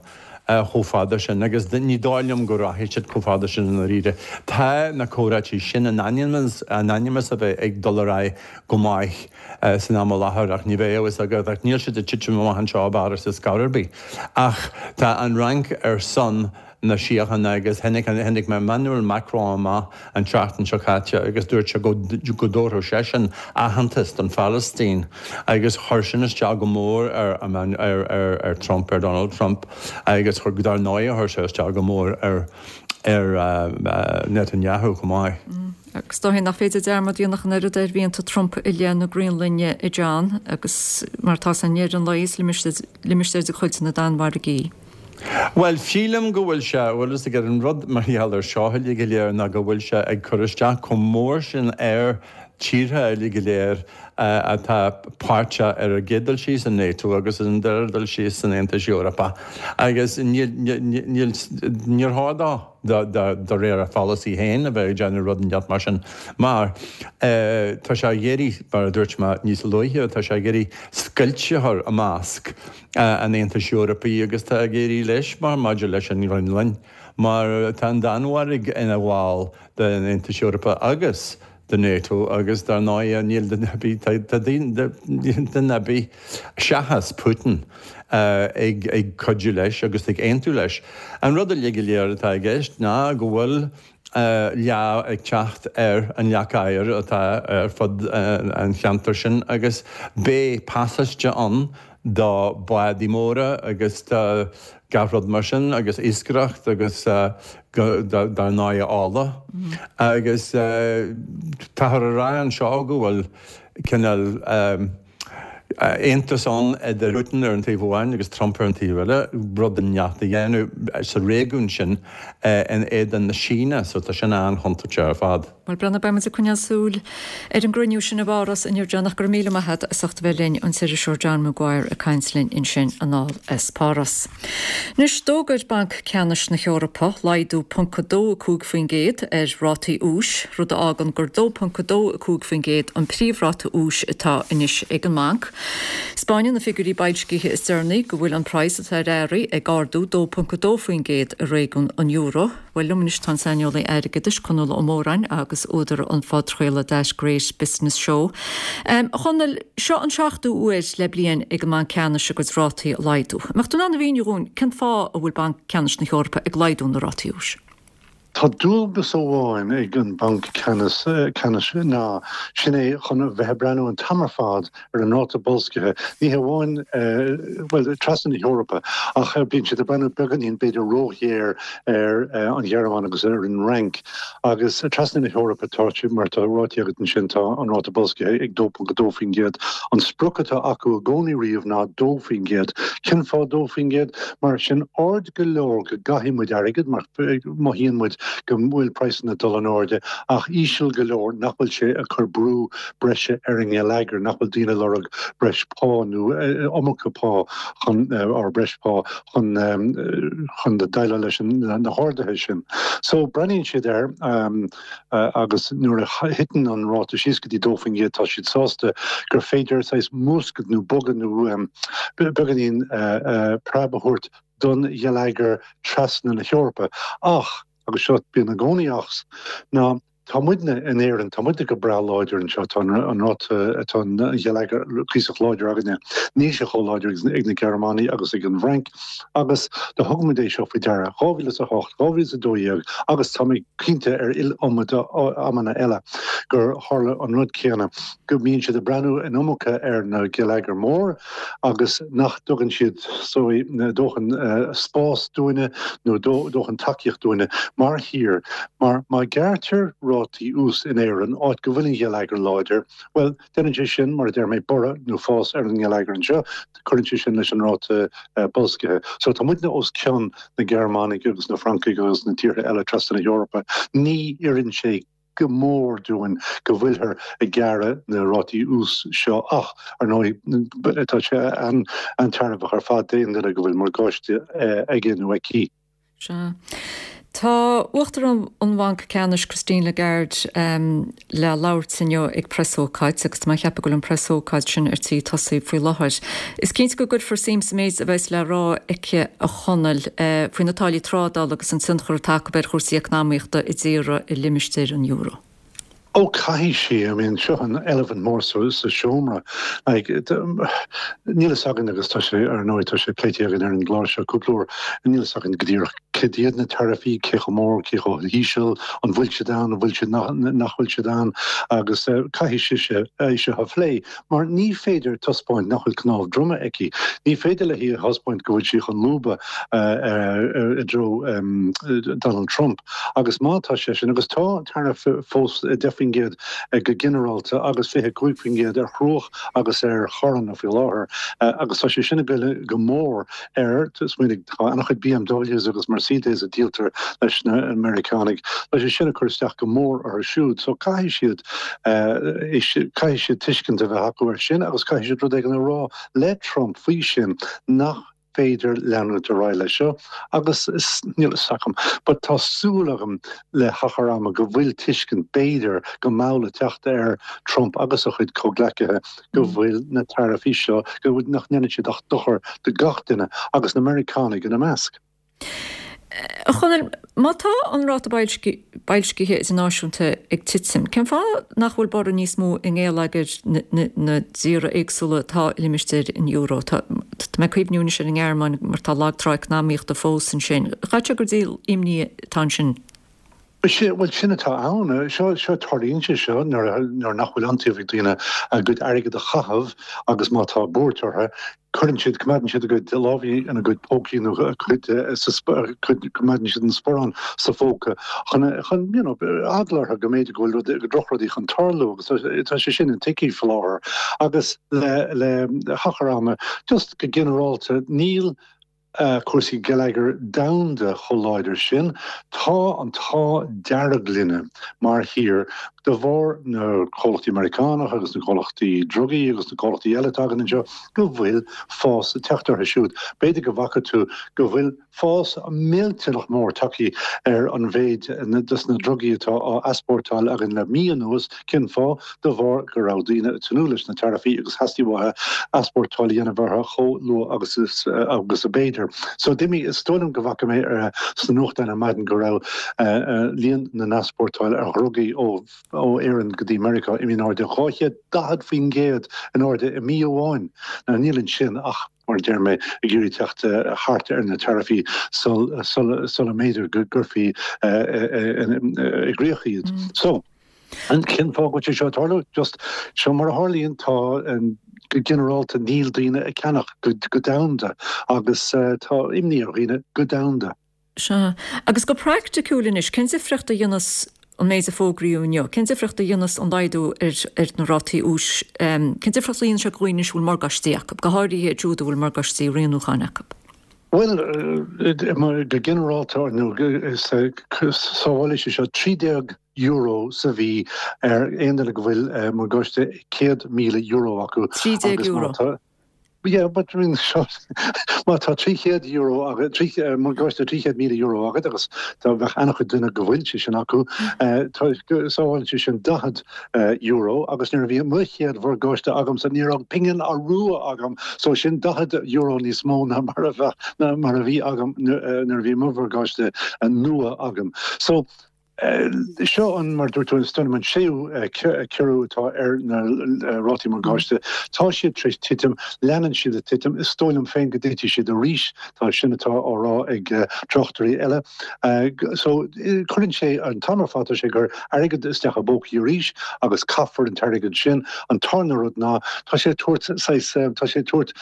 chomh fada sin agus ní dóigh liom go rachaidh siad chomh fada sin i ndáiríre. Tá na comhráití sin in ainm is a bheith ag dul ar aghaidh go maith san am i láthair ach ní bheidh a fhios agat ach níl siad ag titim amach anseo i bPáras ar scor ar bith. Ach tá an Fhrainc ar son na síochána agus tháinig tháinig Emmanuel Macron amach an tseachtain seo caite agus dúirt sé go go dtabharfadh seisean aitheantas don Phalaistín agus chuir sin isteach go mór ar ar ar ar Trump ar Donald Trump agus chuir dar ndóigh chuir sé isteach go mór ar ar Netanyahu chomh maith. Agus is dóigh nach féidir dearmad a dhéanamh ach an oiread ar mhianta Trump i leith na Graonlainne a John agus mar atá i ndeireadh an lae is limistéar de chuid na Danmhairge í. Bhuel, sílim go bhfuil sé, bhfuil fhios agat, an rud mar gheall ar seo uilig go léir ná go bhfuil sé ag cur isteach chomh mór sin ar tíortha uilig go léir atá páirteach ar an gcéad dul síos in NATO agus ar an dara dul síos san Aontas Eorpach agus níl, níl, níor chóir dó de réir a pholasaí féin a bheith ag déanamh rud inteacht mar sin mar tá sé ag iarraidh, mar a dúirt mé níos luaithe, tá sé ag iarraidh scoilt a chur i measc an Aontais Eorpaigh agus tá ag éirí leis mar maidir leis an nGraonlainn mar tá an Danmhairg ina bhall den Aontas Eorpach agus de NATO agus dar ndóigh níl duine ar bith, tá duine ar bith seachas Putin ag ag cuidiú leis agus ag aontú leis. An rud uilig go léir atá i gceist ná go bhfuil leá ag teacht ar an leac oighir atá ar fud an cheantair sin agus beidh pasáiste ann do bhádaí móra agus do gach rud mar sin agus iascaireacht agus dar ndóigh ola agus táthar a rá anseo go bhfuil cineál aontas ann idir Putin ar an taobh amháin agus Trump ar an taobh eile, rud inteacht a dhéanamh sa réigiún sin in éadan na Síne, so tá sin an-chontúirteach ar fad. Bhuel, Breandán, beidh muid ag coinneáil súil ar an gcruinniú sin i bPáras inniu, John, ach go raibh míle maith agat as ucht a bheith linn, an t-iriseoir John Maguire ag caint linn ansin anall as Páras. Anois, d'fhógair Banc Ceannais na hEorpa laghdú ponc a dó a cúig faoin gcéad ar rátaí úis, rud a fhágann gur dó ponc a dó a cúig faoin gcéad an príomhráta úis atá anois ag an mbanc. 'Spáineann na figiúirí boilscithe is deireanaí go bhfuil an praghas atá ar earraí ag ardú dó ponc a dó faoin gcéad i réigiún an euro. Bhuel, liom anois tá an saineolaí airgeadais, Conall Ó Móráin, agus údar an phodchraoladh That Great Business Show. A Chonaill, seo an seachtú huair le bliain ag an mBanc Ceannais a gcuid rátaí a laghdú. An mbeadh tú in ann a mhíniú dhúinn cén fáth a bhfuil Banc Ceannais na hEorpa ag laghdú na rátaí úis? Tá dualgas amháin ag an Banc Ceannais Ceannais ná sin é chun a bheith ag breathnú an t-am ar fad ar an ráta boilscithe, ní hamháin bhuel trasna na hEorpa ach bíonn siad ag breathnú beagáinín b'fhéidir róghéar ar an Ghearmáin agus ar an Fhrainc agus trasna na hEorpa tá mar tá ráite agat ansin tá an ráta boilscithe ag dó ponc a dó faoin gcéad. An sprioc atá acu i gcónaí riamh ná dó faoin gcéad. Cén fáth dó faoin gcéad? Mar sin ard go leor go gcaithfidh muid airgead mar mothaíonn muid go bhfuil praghsanna ag dul in airde ach íseal go leor nach bhfuil sé ag cur brú breise ar an ngeilleagar, nach bhfuil daoine ag lorg breis pá nó iomarca pá chun or breis pá chun chun déileáil leis na harduithe sin. So breathnaíonn siad air agus nuair a thiteann an ráta síos go dtí dó faoin gcéad tá siad sásta gur féidir saghas múscailt nó bogadh nó beagáinín preab a thabhairt don gheilleagar trasna na hEorpa. Ach, agus seo, bíonn i gcónaí achs, ná tá muidne in Éirinn, tá muidne go breá láidir anseo, tá an ráta, tá an geilleagar cuíosach láidir againne, níl sé chomh láidir ag na Gearmánaigh agus ag an bhFrainc, agus do thug muid é seo faoi deara, dhá mhíle is a hocht, dhá mhíle is a dó dhéag agus tá mé cinnte ar iliomad amanna eile. gur tharla an rud céanna, go mbíonn siad ag breathnú an iomarca ar na geilleagair mór agus nach dtugann siad dóthain spás dúinne nó dóthain tacaíocht dúinne mar thír. Mar má ghearrtar rátaí ús in Éirinn, áit go bhfuil an geilleagar láidir, bhuel, déanann sé sin, mar a deir mé, borradh nó fás ar an ngeilleagar anseo, cuireann sé sin leis an ráta boilscithe. So tá muidne os cionn na Gearmánaigh agus na Francaigh agus na tíortha eile trasna na hEorpa. Ní oireann sé go mór dúinn go bhfuilthear ag gearradh na rátaí ús seo ach, ar ndóigh, tá sé an-tairbheach ar fad d'aon duine go bhfuil morgáiste aige nó aici. Sea. Tá Uachtarán an Bhainc Ceannais Christine Lagarde le labhairt inniu ag preasócáid agus tá mé ag ceapadh go bhfuil an preasócáid sin ar tí tosaí faoi láthair. Is cinnte go gcuirfear suim sa méid a bheas le rá aici a Chonaill faoi na táillí trádála agus an tionchar atá acu ar chúrsaí eacnamaíochta i dtíortha i limistéar an euro. Ó caithfidh sí, I mean seo an eilifint mór sa seomra. Like níl a fhios againn agus tá sé ar ndóigh tá sé pléite againn ar an gclár seo cúpla uair, níl a fhios againn go díreach cad iad na taraifí, cé chomh mór, cé chomh híseal, an bhfuil siad ann, an bhfuil siad nach bhfuil siad ann agus caithfidh sise é seo a phlé mar ní féidir taispeáint nach bhfuil cnámh droma aici. Ní féidir léi a thaispeáint go bhfuil sí chun lúbadh i dtreo Donald Trump agus má tá sé sin agus tá taraif fós deich faoin gcéad go ginearálta agus fiche cúig faoin gcéad ar chruach agus ar charranna faoi láthair agus tá sé sin ag goil go mór ar, smaoinigh, tá an-chuid BMWs agus Mercedes a díoltar leis na Meiriceánaigh, tá sé sin ag cur isteach go mór orthu siúd so caithfidh siad, caithfidh siad tuiscint a bheith acu air sin agus caithfidh siad rud éigin a rá le Trump faoi sin nach féidir leanúint ar aghaidh leis seo agus níl a fhios agam but tá súil agam le hachar ama go bhfuil tuiscint b'fhéidir go mall ag teacht ar Trump agus a chuid comhghleacaithe go bhfuil na taraifí seo go bhfuil nach ndéanann siad ach dochar do gach duine agus na Meiriceánaigh ina measc. A Chonaill, má tá an ráta boilscithe idirnáisiúnta ag titim, cén fáth nach bhfuil borradh níos mó i ngeilleagair na dtíortha éagsúla atá i limistéar an euro? Tá mé ag cuimhniú anois ar an nGearmáin mar tá lag trá eacnamaíochta fós ansin. Chaithfeadh sé gur díol imní atá ansin. Bhuel, sin atá ann. Seo, seo, tarlaíonn sé seo nuair nuair nach bhfuil iontaoibh ag daoine a gcuid airgid a chaitheamh agus má tá buairt orthu, cuireann siad, coimeádann siad a gcuid lámhaí ina gcuid pócaí nó a gcuid sa cuid, coimeádann siad an sparán sa phóca chun, chun, you know, eagla orthu go mb'fhéidir go bhfuil rud, drochrudaí chun tarlú agus tá sé sin intuigthe faoi láthair. Agus le, le hachar ama, just go ginearálta, níl, cúrsaí geilleagair domhanda chomh láidir sin. Tá an t-ádh dearg linne mar thír de bharr na comhlachtaí Meiriceánach agus na comhlachtaí drugaí agus na comhlachtaí eile atá againn anseo go bhfuil fás ag teacht orthu siúd. B'fhéidir go bhfaca tú go bhfuil fás millteanach mór tagtha ar an mhéid dos na drugaí atá á easpórtáil againn le mí anuas. Cén fáth? De bharr go raibh daoine ag tnúth leis na taraifí agus theastaigh uathu easpórtáil a dhéanamh orthu chomh luath agus agus ab fhéidir. So d'imigh, is dóigh liom go bhfaca mé sna nuachtáin ar maidin go raibh líon na n-easpórtáil ar dhrugaí ó ó Éirinn go dtí Meiriceá imithe in airde dhá chéad daichead faoin gcéad in airde i mí amháin. Now níl ansin ach mar a deir mé, ag iarraidh teacht thart ar na taraifí sula mb'fhéidir go gcuirfí i gcrích iad. So, cén fáth go bhfuil sé seo ag tarlú? Just, seo mar a tharlaíonn, tá, go ginearálta, níl daoine ag ceannach go domhanda agus tá imní ar dhaoine go domhanda. Sea. Agus go praiticiúil anois, cén difríocht a dhéanfas an méid a fógraíodh inniu? Cén difríocht a dhéanfas an laghdú ar na rátaí úis? Cén difríocht a dhéanann sé do dhaoine anois a bhfuil morgáistí acu, go háirithe iad siúd a bhfuil morgáistí rianúcháin acu? Bhuel, go ginearálta, nó sábhálfaidh sé seo trí déag euro sa mhí ar aon duine go bhfuil morgáiste céad míle euro acu. Trí déag euro? Yeah, but I mean, seo, má tá trí chéad euro agat, trí, morgáiste trí chéad míle euro agat agus tá bheadh an-chuid duine go bhfuil sé sin acu, tá, sábhálann sé sin daichead euro agus nuair a bhí mo chéad mhorgáiste agamsa ní raibh pingin rua agam, so sin daichead euro níos mó ná mar a bheadh, ná mar a bhí agam nuair a bhí mo mhorgáiste nua agam. So, Seo an, mar a dúirt tú, is dóigh liom an séú ciorrú atá ar na rátaí morgáiste. Tá siad tar éis titim, leanann siad ag titim. Is dóigh liom féin go dtitfidh siad arís, tá sin atá á rá ag tráchtairí eile. So cuireann sé, an t-am ar fad tá sé ag cur airgead isteach i bpócaí arís agus caithfear an t-airgead sin. An tarna rud ná tá sé ag tabhairt saghas, tá sé ag tabhairt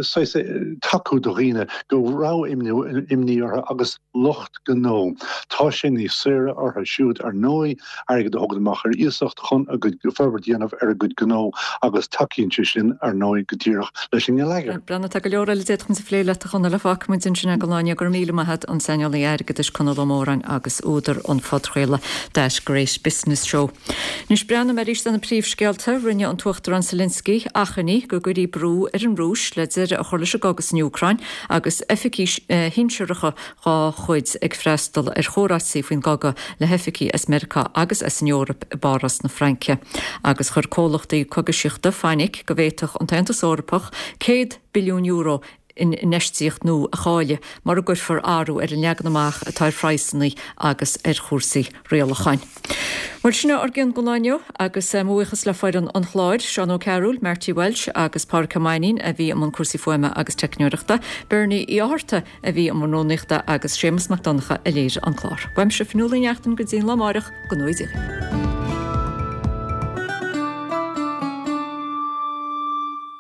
saghas tacú do dhaoine go raibh imní orthu agus lucht gnó. Tá sé níos saoire orthu siúd, ar ndóigh, airgead a thógaint amach ar iasacht chun a gcuid forbairt a dhéanamh ar a gcuid gnó agus tacaíonn sé sin, ar ndóigh, go díreach leis an ngeilleagar. Breandán, tá go leor eile a d'fhéadfadh muid a phlé leat, a Chonaill, ach fágfaidh muid ansin é don lá inniu. Go raibh míle maith agat, an saineolaí airgeadais Conall Ó Móráin agus údar an phodchraoladh That Great Business Show. Anois breathnóidh mé arís ar na príomhscéalta. Rinne an tUachtarán Zelensky achainí go gcuirfí brú ar an Rúis le deireadh a chur leis an gcogadh san Úcráin agus oifigigh shinsearacha dá chuid ag freastal ar chomhráití faoin gcogadh le hoifigigh as Meiriceá agus as an Eoraip i bPáras na Fraince. Agus chuir comhlachtaí cógaisíochta fainic go bhféadfadh an tAontas Eorpach céad billiún euro in infheistíocht nua a chailleadh mura gcuirfear athrú ar an leagan amach atá ar phraghsanna agus ar chúrsaí rialacháin. Bhuel, sin é ár gcion don lá inniu agus mo bhuíochas le foireann an chláir, Seán Ó Cearúil, Marty Walsh agus Pádraig Ó Mainnín a bhí i mbun cúrsaí fuaime agus teicneoireachta, Bernie Uí Fhátharta a bhí i mbun rúnaíochta agus Séamus Mac Donncha a léirigh an clár. Uaimse Fionnuala Ní Neachtain go dtí an lá amárach, go ngnóthaí Dia.